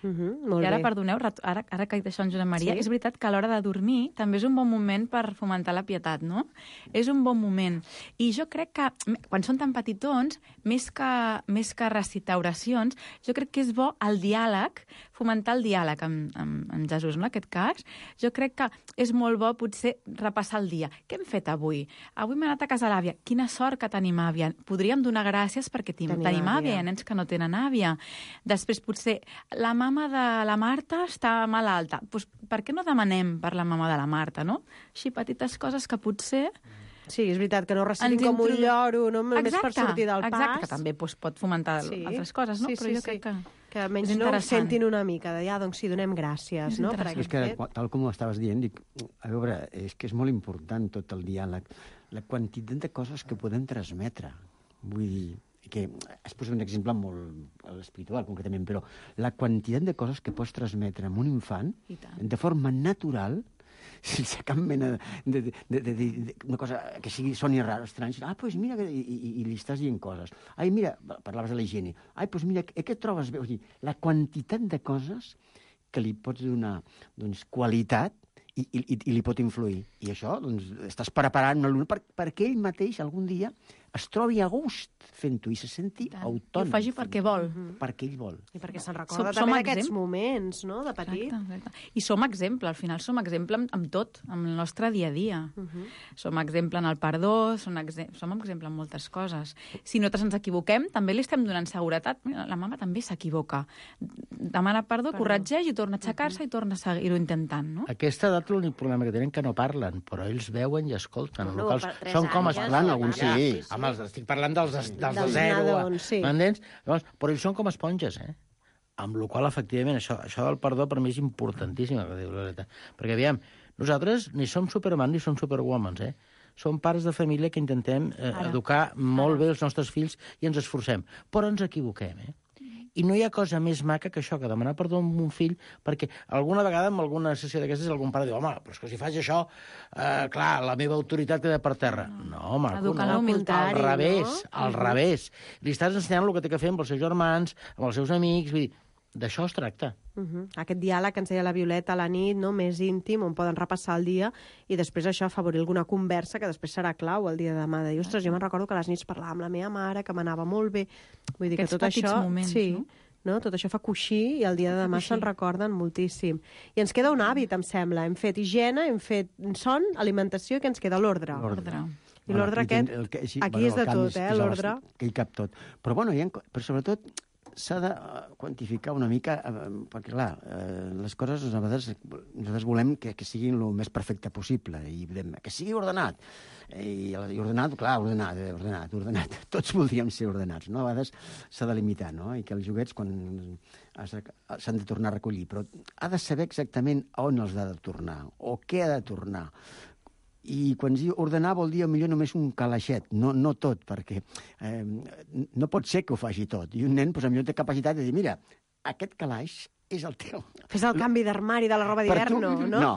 Molt I ara, bé. perdoneu, ara que he dit això en Josep Maria, és veritat que a l'hora de dormir també és un bon moment per fomentar la pietat, no? És un bon moment. I jo crec que, quan són tan petitons, més que recitar oracions, jo crec que és bo el diàleg, fomentar el diàleg amb Jesús, no? En aquest cas, jo crec que és molt bo potser repassar el dia. Què hem fet avui? Avui m'he anat a casa l'àvia. Quina sort que tenim àvia. Podríem donar gràcies perquè tenim àvia. Hi ha nens que no tenen àvia. Després, potser, la mama de la Marta està malalta. Pues, per què no demanem per la mama de la Marta, no? Així, petites coses que potser... Sí, és veritat, que no recitin com un lloro, no? Només per sortir del pas. Exacte, que també pot fomentar altres coses, no? Però jo crec que almenys no ho sentin una mica, de doncs sí, donem gràcies, no? És que, tal com ho estaves dient, dic, a veure, és que és molt important tot el diàleg, la quantitat de coses que podem transmetre. Vull dir, que es posa un exemple molt espiritual, concretament, però la quantitat de coses que pots transmetre a un infant de forma natural, sense cap mena una cosa que soni rara, estrany. Doncs mira, i li estàs dient coses. Ai, mira, parlaves de la higiene. Ai, doncs mira, què et trobes bé? O sigui, la quantitat de coses que li pots donar, doncs, qualitat i li pot influir. I això, doncs, estàs preparant l'alumne perquè ell mateix algun dia es trobi a gust fent-ho i se senti autònom. I ho faci perquè vol. Perquè ell vol. I perquè se'n recorda també d'aquests moments, no?, de petit. Exacte. I som exemple, al final som exemple amb tot, amb el nostre dia a dia. Som exemple en el perdó, som exemple en moltes coses. Si nosaltres ens equivoquem, també li estem donant seguretat. Mira, la mama també s'equivoca. Demana perdó, corregeix i torna a aixecar-se i torna a seguir-ho intentant, no? A aquesta edat l'únic problema que tenen que no parlen, però ells veuen i escolten. No, són com es parlant, alguns sí. Home, estic parlant dels de zero. M'entens? Llavors, però ells són com esponges, amb la qual cosa, efectivament, això del perdó per mi és importantíssim, que diu Loreta. Perquè, aviam, nosaltres ni som Superman ni som Superwoman, Som pares de família que intentem educar molt bé els nostres fills i ens esforcem. Però ens equivoquem, I no hi ha cosa més maca que això, que demanar perdó a un fill, perquè alguna vegada en alguna sessió d'aquestes algun pare diu, home, però és que si faig això, clar, la meva autoritat queda per terra. No, maco, no. Al revés, al revés. Li estàs ensenyant el que té que fer amb els seus germans, amb els seus amics, vull dir, d'això es tracta. Aquest diàleg que ens deia la Violeta a la nit, no, més íntim, on poden repassar el dia i després això afavorir alguna conversa que després serà clau el dia de demà. De dir, ostres, jo me'n recordo que a les nits parlava amb la meva mare, que m'anava molt bé. Vull dir que tot això... moments, no? Tot això fa coixí i el dia de demà se'n recorden moltíssim. I ens queda un hàbit, em sembla. Hem fet higiene, hem fet son, alimentació i que ens queda l'ordre. I l'ordre aquest, aquí és de tot, l'ordre. Que hi cap tot. Però, bueno, però sobretot s'ha de quantificar una mica, perquè, clar, les coses a vegades nosaltres volem que siguin el més perfecte possible, i que sigui ordenat. I ordenat, clar, ordenat. Tots voldríem ser ordenats, no? A vegades s'ha de limitar, no? I que els joguets, quan s'han de tornar a recollir, però ha de saber exactament on els ha de tornar, o què ha de tornar. I quan diu ordenar vol dir millor només un calaixet, no tot, perquè no pot ser que ho faci tot. I un nen, potser té capacitat de dir, mira, aquest calaix és el teu. Fes el canvi d'armari de la roba d'hivern, no? No,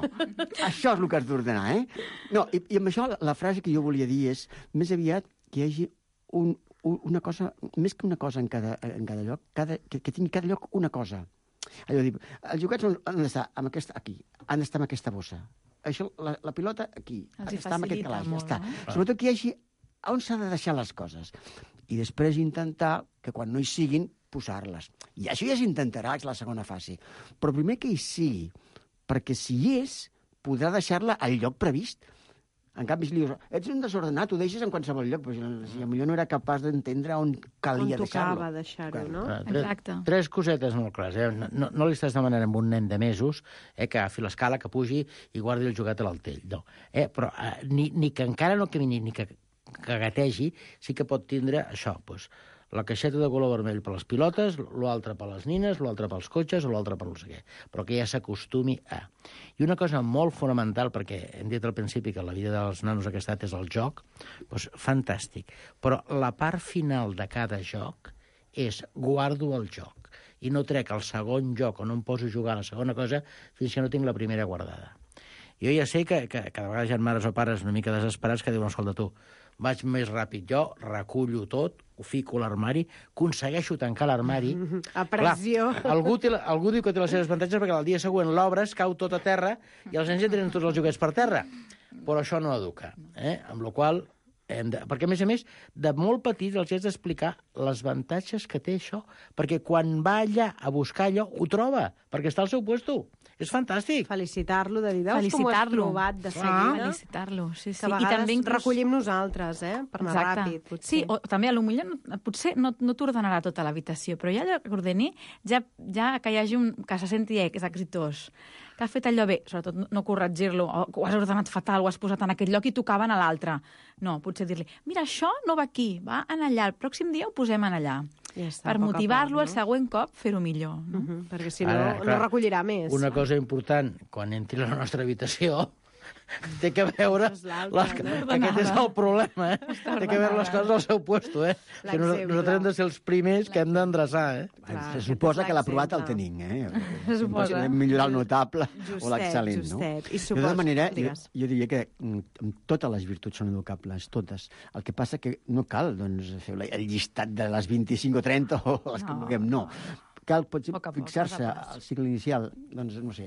això és el que has d'ordenar, No, i amb això la frase que jo volia dir és més aviat que hi hagi una cosa, més que una cosa en cada lloc, que tingui cada lloc una cosa. Allò dir, els joguets han d'estar aquí, han d'estar en aquesta bossa. Això, la pilota aquí, està en aquest calaix, està. Sobretot que hi hagi on s'ha de deixar les coses. I després intentar que quan no hi siguin, posar-les. I això ja s'intentarà, és la segona fase. Però primer que hi sigui, perquè si hi és, podrà deixar-la al lloc previst. En canvi, si li dius, ets un desordenat, ho deixes en qualsevol lloc, però si potser no era capaç d'entendre on calia deixar-lo. On tocava deixar-ho, no? Exacte. Tres cosetes molt clares. No li estàs demanant a un nen de mesos que agafi l'escala, que pugi i guardi el joguet a l'altell. No. Però ni que encara no camini ni que gategi, sí que pot tindre això, doncs, la caixeta de color vermell per les pilotes, l'altre per les nines, l'altre pels cotxes o l'altre per no sé què, però que ja s'acostumi a. I una cosa molt fonamental, perquè hem dit al principi que la vida dels nanos aquesta edat és el joc, doncs fantàstic, però la part final de cada joc és guardo el joc i no trec el segon joc o no em poso a jugar a la segona cosa fins que no tinc la primera guardada. Jo ja sé que cada vegada hi ha mares o pares una mica desesperats que diuen, escolta tu, vaig més ràpid jo, recullo tot, ho fico a l'armari, aconsegueixo tancar l'armari... A pressió. Clar, algú diu que té les seves avantatges perquè el dia següent l'obres, cau tot a terra i els nens ja tenen tots els joguets per terra. Però això no educa. Amb la qual perquè, a més, de molt petits els has d'explicar les avantatges que té això, perquè quan va allà a buscar allò, ho troba, perquè està al seu puesto. És fantàstic. Felicitar-lo, de dir, veus com ho has provat de seguida? Felicitar-lo, sí. Que a vegades recollim nosaltres, per anar ràpid, potser. Sí, o també potser no t'ordenarà tota l'habitació, però ja allò que ordeni, ja que hi hagi que se senti exitós, que ha fet allò bé, sobretot no corregir-lo, o ho has ordenat fatal, ho has posat en aquest lloc i tocava en l'altre. No, potser dir-li, mira, això no va aquí, va en allà, el pròxim dia ho posem en allà. Ja està, per motivar-lo el següent cop, fer-ho millor. No? Perquè si no, no recollirà més. Una cosa important, quan entri a la nostra habitació, té que veure... Aquest és el problema, Té que veure les coses al seu puesto, Nosaltres hem de ser els primers que hem d'endreçar, Se suposa que l'aprovat el tenim, Se suposa. Podem millorar el notable o l'excel·lent, no? De tota manera, jo diria que totes les virtuts són educables, totes. El que passa que no cal fer el llistat de les 25 o 30 o les que vulguem, no. Cal potser fixar-se al cicle inicial, doncs, no sé,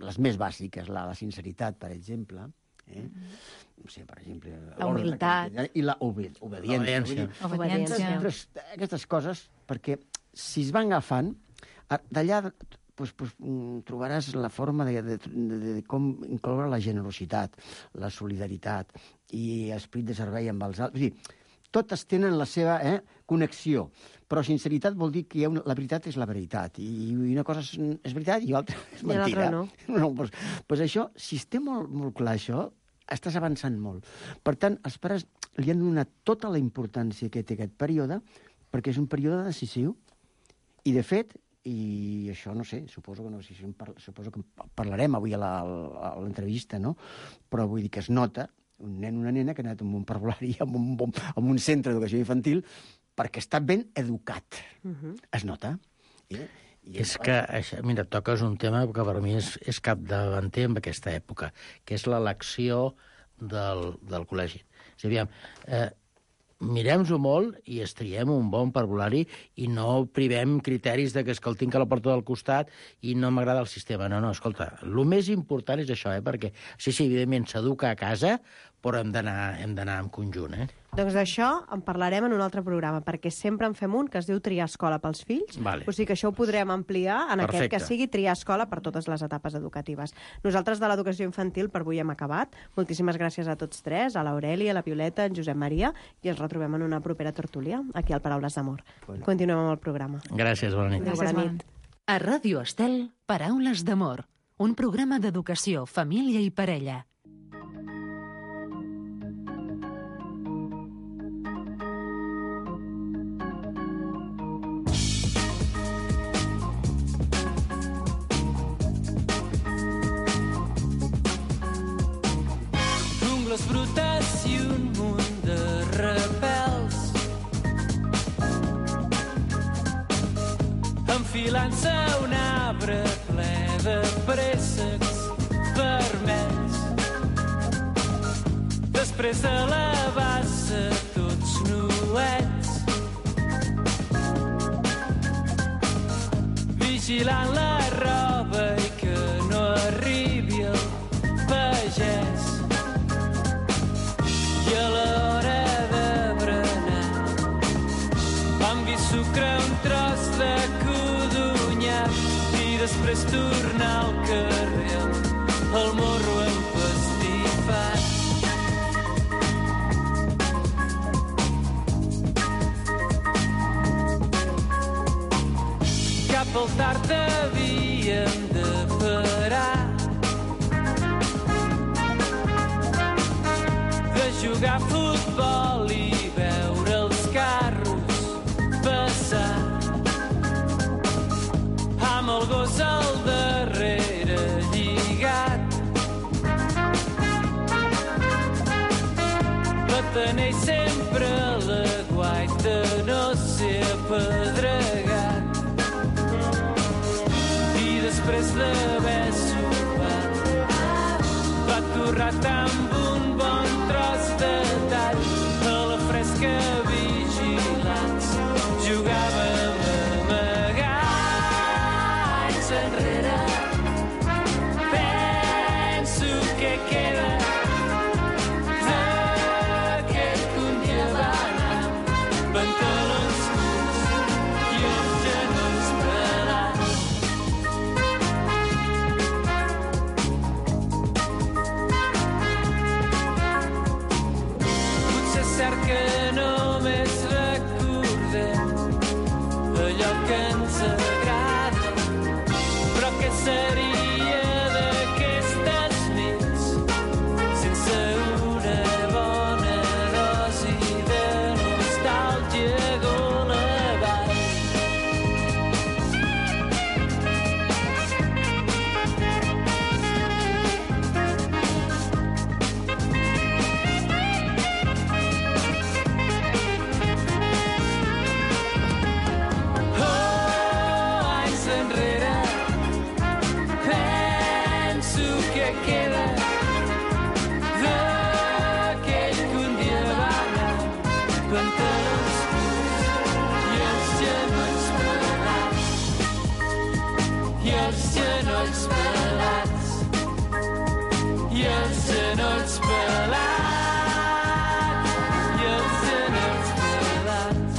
les més bàsiques, la sinceritat, per exemple, no sé, per exemple... La humilitat. I l'obediència. Aquestes coses, perquè si es van agafant, d'allà trobaràs la forma de com incloure la generositat, la solidaritat i esprit de servei amb els altres. És a dir, totes tenen la seva connexió, però sinceritat vol dir que la veritat és la veritat, i una cosa és veritat i l'altra és mentira. I l'altra no. Doncs això, si es té molt clar això, estàs avançant molt. Per tant, els pares li han donat tota la importància que té aquest període, perquè és un període decisiu, i de fet, i això no sé, suposo que parlarem avui a l'entrevista, no? Però vull dir que es nota un nen o una nena que ha anat amb un parvulari, amb un centre d'educació infantil, perquè està ben educat. Es nota. És que, mira, toques un tema que per mi és capdavanter en aquesta època, que és l'elecció del col·legi. És a dir, mirem-ho molt i estriem un bon parvulari i no privem criteris de que el tinc a la porta del costat i no m'agrada el sistema. No, escolta, el més important és això, perquè sí, evidentment s'educa a casa, però hem d'anar en conjunt, Doncs d'això en parlarem en un altre programa, perquè sempre en fem un que es diu Triar escola pels fills. Vale. O sigui que això ho podrem ampliar en aquest que sigui Triar escola per totes les etapes educatives. Nosaltres de l'educació infantil per avui hem acabat. Moltíssimes gràcies a tots tres, a l'Aurèlia, a la Violeta, a en Josep Maria, i ens retrobem en una propera tertúlia, aquí al Paraules d'Amor. Continuem amb el programa. Gràcies, bona nit. Bona nit. A Ràdio Estel, Paraules d'Amor, un programa d'educació, família i parella. les brutes i un munt de rebels enfilant-se a un arbre ple de préssecs vermells. Després de lavar-se tots nuets, vigilant la roba i que no arribi el pagès. I a l'hora de berenar vam vi sucre un tros de codonyac i després tornar al carrer el morro empastifat. molt tard havíem de parar de jugar a futbol i veure els carros passar amb el gos al darrere lligat. Tenir sempre la guaita, no ser apedregat. I després d'haver sopat, va torrat amb un bon tros de tall. A la fresca vigilats, jugàvem a amagar. Anys enrere, penso que queda pantalons curts i els genolls pelats. Potser és cert que només recordem allò que ens agrada, però què seria d'aquestes nits sense una bona dosi de nostàlgia golejant? Oh, anys enrere, penso que queda d'aquell que un dia va anar pantalons curts i els genolls pelats. I els genolls pelats. I els genolls pelats. I els genolls pelats.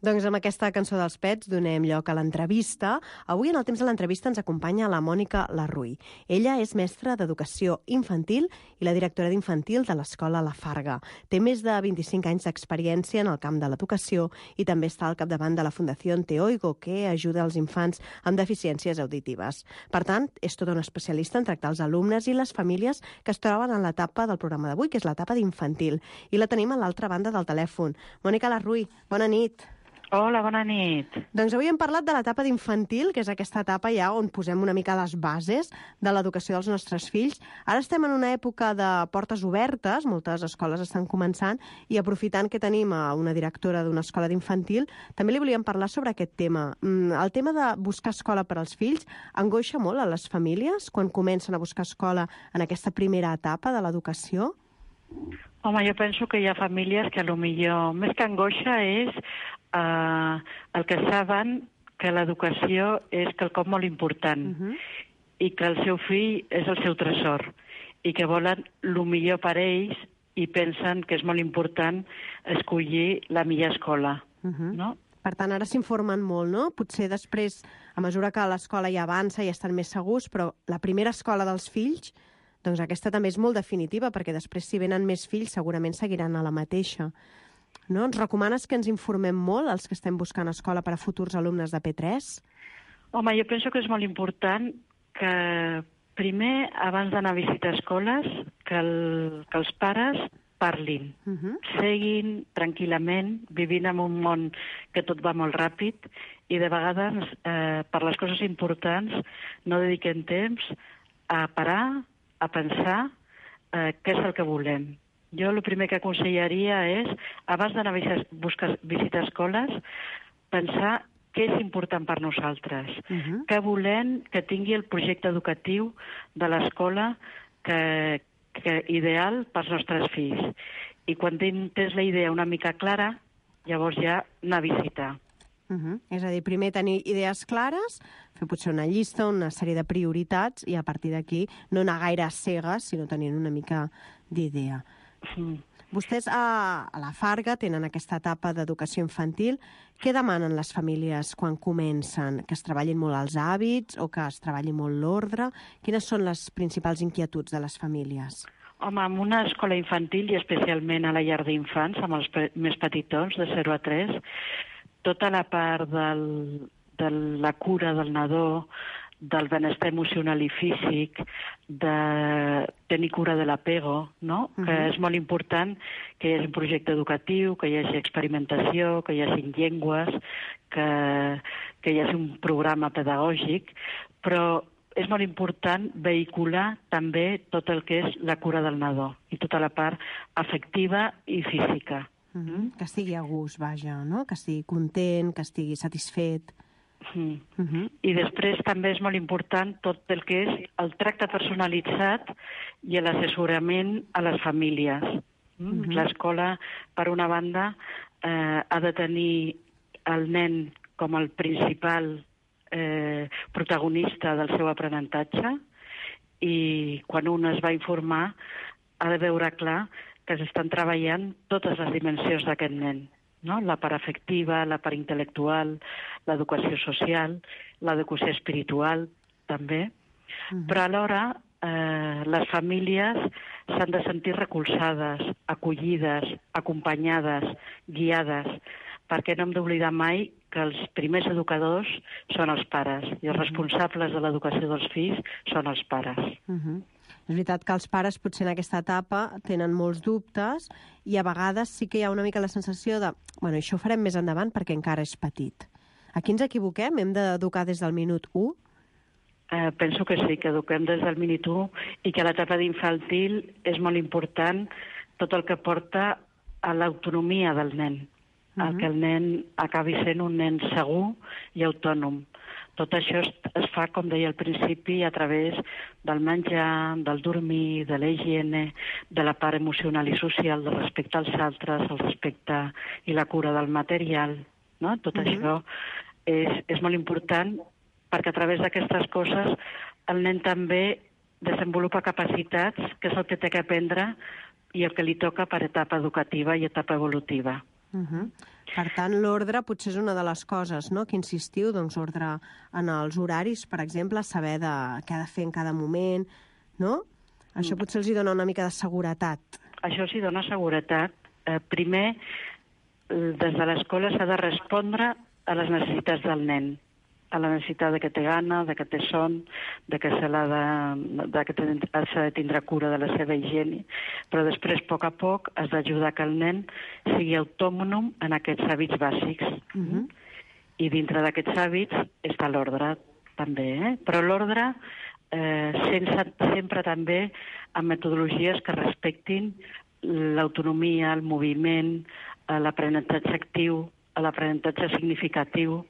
Doncs amb aquesta cançó dels Pets donem lloc a l'entrevista. Avui en el temps de l'entrevista ens acompanya la Mònica Larruy. Ella és mestra d'Educació Infantil i la directora d'infantil de l'Escola La Farga. Té més de 25 anys d'experiència en el camp de l'educació i també està al capdavant de la Fundació Te Oigo, que ajuda els infants amb deficiències auditives. Per tant, és tota una especialista en tractar els alumnes i les famílies que es troben en l'etapa del programa d'avui, que és l'etapa d'infantil. I la tenim a l'altra banda del telèfon. Mònica Larruy, bona nit. Hola, bona nit. Doncs avui hem parlat de l'etapa d'infantil, que és aquesta etapa ja on posem una mica les bases de l'educació dels nostres fills. Ara estem en una època de portes obertes, moltes escoles estan començant, i aprofitant que tenim a una directora d'una escola d'infantil, també li volíem parlar sobre aquest tema. El tema de buscar escola per als fills angoixa molt a les famílies quan comencen a buscar escola en aquesta primera etapa de l'educació? Home, jo penso que hi ha famílies que potser més que angoixa és el que saben que l'educació és quelcom molt important i que el seu fill és el seu tresor i que volen el millor per ells i pensen que és molt important escollir la millor escola, no? Per tant, ara s'informen molt, no? Potser després, a mesura que l'escola ja avança i estan més segurs, però la primera escola dels fills, doncs aquesta també és molt definitiva, perquè després, si venen més fills, segurament seguiran a la mateixa. No? Ens recomanes que ens informem molt, els que estem buscant escola per a futurs alumnes de P3? Home, jo penso que és molt important que primer, abans d'anar a visitar escoles, que els pares parlin, seguin tranquil·lament, vivint en un món que tot va molt ràpid i de vegades, per les coses importants, no dediquem temps a parar, a pensar què és el que volem. Jo el primer que aconsellaria és, abans d'anar a visitar escoles, pensar què és important per nosaltres, què volem que tingui el projecte educatiu de l'escola que ideal pels nostres fills. I quan tens la idea una mica clara, llavors ja anar a visitar. És a dir, primer tenir idees clares, fer potser una llista, una sèrie de prioritats, i a partir d'aquí no anar gaire a cegues, sinó tenint una mica d'idea. Vostès a la Farga tenen aquesta etapa d'educació infantil. Què demanen les famílies quan comencen? Que es treballin molt els hàbits o que es treballi molt l'ordre? Quines són les principals inquietuds de les famílies? Home, en una escola infantil i especialment a la llar d'infants, amb els més petitons, de 0 a 3, tota la part de la cura del nadó, del benestar emocional i físic, de tenir cura de l'apego, no? Que és molt important que hi hagi un projecte educatiu, que hi hagi experimentació, que hi hagi llengües, que hi hagi un programa pedagògic, però és molt important vehicular també tot el que és la cura del nadó i tota la part afectiva i física. Que estigui a gust, vaja, no? Que estigui content, que estigui satisfet. I després també és molt important tot el que és el tracte personalitzat i l'assessorament a les famílies. L'escola, per una banda, ha de tenir el nen com el principal protagonista del seu aprenentatge i quan un es va informar ha de veure clar que s'estan treballant totes les dimensions d'aquest nen, no? La part afectiva, la part intel·lectual, l'educació social, l'educació espiritual, també. Però alhora les famílies s'han de sentir recolzades, acollides, acompanyades, guiades, perquè no hem d'oblidar mai que els primers educadors són els pares i els responsables de l'educació dels fills són els pares. És veritat que els pares potser en aquesta etapa tenen molts dubtes i a vegades sí que hi ha una mica la sensació de bueno, això ho farem més endavant perquè encara és petit. Aquí ens equivoquem? Hem d'educar des del minut 1? Penso que sí, que eduquem des del minut 1 i que a l'etapa d'infantil és molt important tot el que porta a l'autonomia del nen. Que el nen acabi sent un nen segur i autònom. Tot això es fa, com deia al principi, a través del menjar, del dormir, de la higiene, de la part emocional i social, del respecte als altres, el respecte i la cura del material. No? Tot això és molt important perquè a través d'aquestes coses el nen també desenvolupa capacitats, que és el que té que aprendre i el que li toca per etapa educativa i etapa evolutiva. Per tant, l'ordre potser és una de les coses, no?, que insistiu, doncs ordre en els horaris, per exemple, saber què ha de fer en cada moment, no? Això potser els dona una mica de seguretat. Això els dona seguretat. Primer, des de l'escola s'ha de respondre a les necessitats del nen, a la necessitat de que té gana, de que té son, de que s'ha de tindre cura de la seva higiene, però després, a poc, has d'ajudar que el nen sigui autònom en aquests hàbits bàsics. I dintre d'aquests hàbits està l'ordre, també, però l'ordre sempre també amb metodologies que respectin l'autonomia, el moviment, l'aprenentatge actiu, l'aprenentatge significatiu.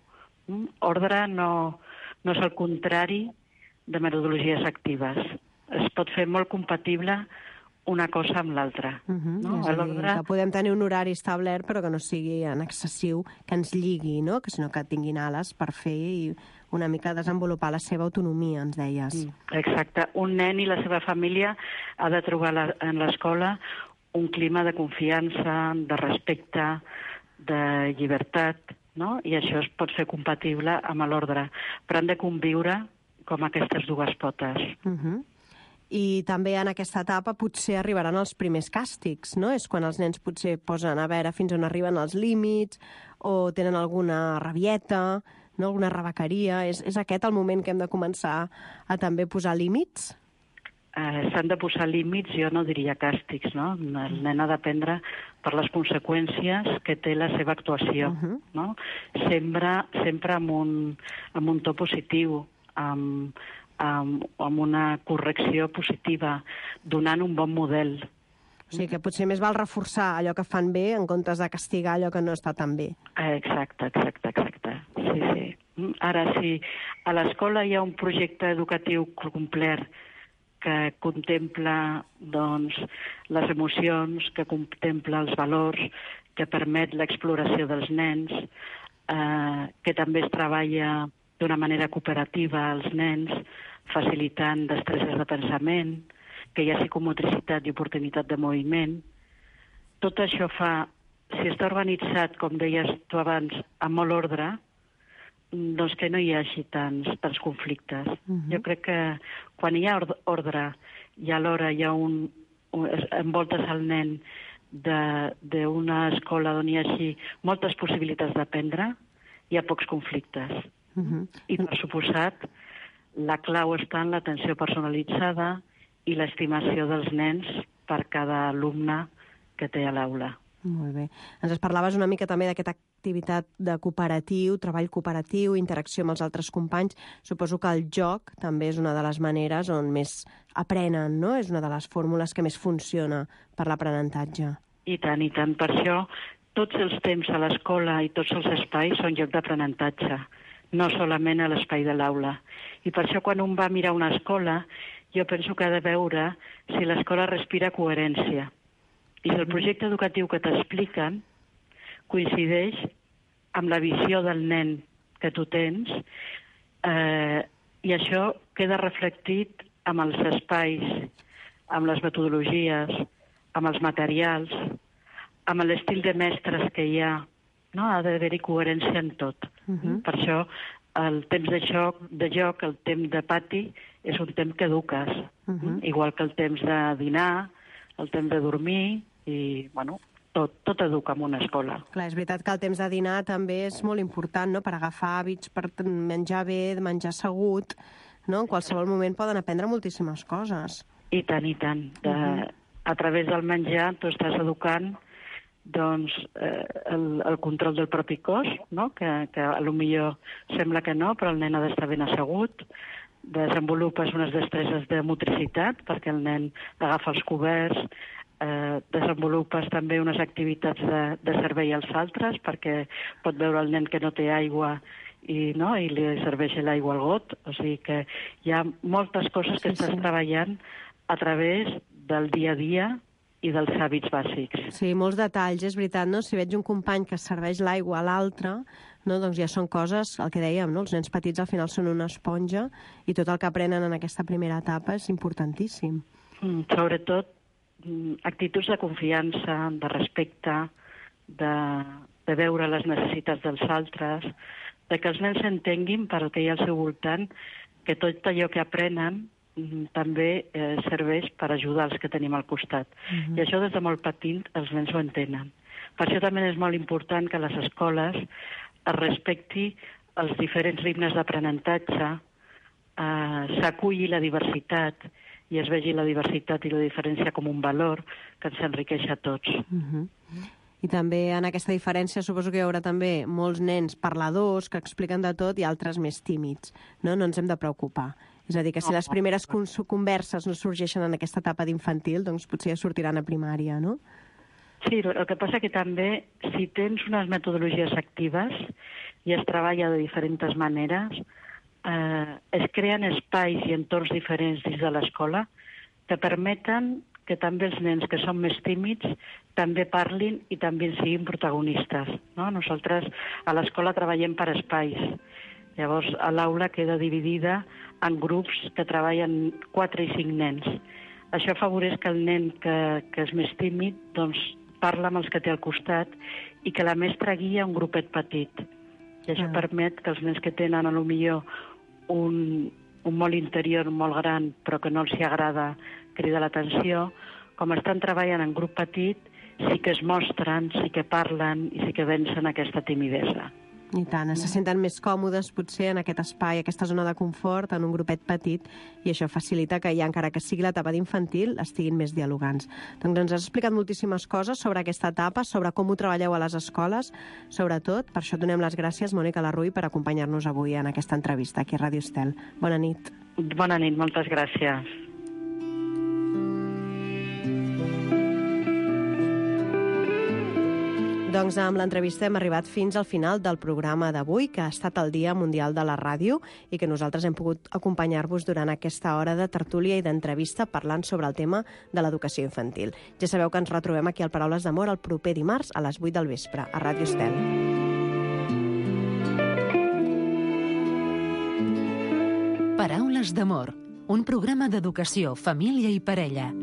Ordre no és el contrari de metodologies actives. Es pot fer molt compatible una cosa amb l'altra. És a dir, que podem tenir un horari establert però que no sigui en excessiu, que ens lligui, no? Sinó que tinguin ales per fer i una mica desenvolupar la seva autonomia, ens deies. Exacte. Un nen i la seva família ha de trobar en l'escola un clima de confiança, de respecte, de llibertat, no? I això es pot fer compatible amb l'ordre, però han de conviure com aquestes dues potes. I també en aquesta etapa potser arribaran els primers càstigs, no? És quan els nens potser posen a veure fins on arriben els límits o tenen alguna rabieta, no? Alguna rebequeria. És aquest el moment que hem de començar a també posar límits? S'han de posar límits, jo no diria càstigs, no? El nen ha d'aprendre per les conseqüències que té la seva actuació, no? Sempre amb un to positiu, amb una correcció positiva, donant un bon model. O sigui que potser més val reforçar allò que fan bé en comptes de castigar allò que no està tan bé. Exacte. Sí. Ara, si a l'escola hi ha un projecte educatiu complet que contempla doncs, les emocions, que contempla els valors, que permet l'exploració dels nens, que també es treballa d'una manera cooperativa als nens, facilitant destreses de pensament, que hi ha psicomotricitat i oportunitat de moviment, tot això fa, si està organitzat, com deies tu abans, amb molt ordre, doncs que no hi hagi tants conflictes. Jo crec que quan hi ha ordre i alhora hi ha envoltes el nen d'una escola on hi hagi moltes possibilitats d'aprendre, hi ha pocs conflictes. I, per suposat, la clau està en l'atenció personalitzada i l'estimació dels nens per cada alumne que té a l'aula. Molt bé. Ens parlaves una mica també d'aquesta activitat de cooperatiu, treball cooperatiu, interacció amb els altres companys. Suposo que el joc també és una de les maneres on més aprenen, no? És una de les fórmules que més funciona per l'aprenentatge. I tant, i tant. Per això tots els temps a l'escola i tots els espais són lloc d'aprenentatge, no solament a l'espai de l'aula. I per això quan un va mirar una escola, jo penso que ha de veure si l'escola respira coherència. I si el projecte educatiu que t'expliquen coincideix amb la visió del nen que tu tens, i això queda reflectit amb els espais, amb les metodologies, amb els materials, amb l'estil de mestres que hi ha. No? Ha d'haver-hi coherència en tot. Per això el temps de joc, el temps de pati, és un temps que eduques. Igual que el temps de dinar, el temps de dormir, i, bueno, tot educa en una escola. Clar, és veritat que el temps de dinar també és molt important, no?, per agafar hàbits, per menjar bé, menjar assegut, no? En qualsevol moment poden aprendre moltíssimes coses. I tant, i tant. A través del menjar tu estàs educant doncs, el control del propi cos, no? Que potser sembla que no, però el nen ha d'estar ben assegut. Desenvolupes unes destreses de motricitat perquè el nen agafa els coberts, desenvolupes també unes activitats de servei als altres perquè pot veure el nen que no té aigua i li serveix l'aigua al got. O sigui que hi ha moltes coses que estàs treballant a través del dia a dia i dels hàbits bàsics. Sí, molts detalls, és veritat, no? Si veig un company que serveix l'aigua a l'altre, no, doncs ja són coses, el que dèiem, no? Els nens petits al final són una esponja i tot el que aprenen en aquesta primera etapa és importantíssim. Sobretot actituds de confiança, de respecte, de veure les necessitats dels altres, de que els nens s'entenguin per el que hi ha al seu voltant, que tot allò que aprenen també serveix per ajudar els que tenim al costat. I això des de molt petit els nens ho entenen. Per això també és molt important que a les escoles es respecti els diferents ritmes d'aprenentatge, s'aculli la diversitat i es vegi la diversitat i la diferència com un valor que ens enriqueix a tots. I també en aquesta diferència suposo que hi haurà també molts nens parladors que expliquen de tot i altres més tímids. No ens hem de preocupar. És a dir, que si les primeres converses no sorgeixen en aquesta etapa d'infantil, doncs potser ja sortiran a primària, no? Sí, el que passa que també, si tens unes metodologies actives i es treballa de diferents maneres, es creen espais i entorns diferents dins de l'escola que permeten que també els nens que són més tímids també parlin i també siguin protagonistes. No? Nosaltres a l'escola treballem per espais. Llavors, a l'aula queda dividida en grups que treballen 4 i 5 nens. Això afavoreix que el nen que és més tímid doncs, parla amb els que té al costat i que la mestra guia un grupet petit. I això permet que els nens que tenen potser un molt interior molt gran però que no els agrada cridar l'atenció, com estan treballant en grup petit, sí que es mostren, sí que parlen i sí que vencen aquesta timidesa. I tant, se senten més còmodes potser en aquest espai, aquesta zona de confort, en un grupet petit, i això facilita que ja, encara que sigui l'etapa d'infantil, estiguin més dialogants. Doncs ens has explicat moltíssimes coses sobre aquesta etapa, sobre com ho treballeu a les escoles, sobretot. Per això donem les gràcies, Mònica Larruy, per acompanyar-nos avui en aquesta entrevista aquí a Ràdio Estel. Bona nit. Bona nit, moltes gràcies. Doncs amb l'entrevista hem arribat fins al final del programa d'avui, que ha estat el Dia Mundial de la Ràdio i que nosaltres hem pogut acompanyar-vos durant aquesta hora de tertúlia i d'entrevista parlant sobre el tema de l'educació infantil. Ja sabeu que ens retrobem aquí al Paraules d'Amor el proper dimarts a les 8 del vespre, a Ràdio Estel. Paraules d'Amor, un programa d'educació, família i parella.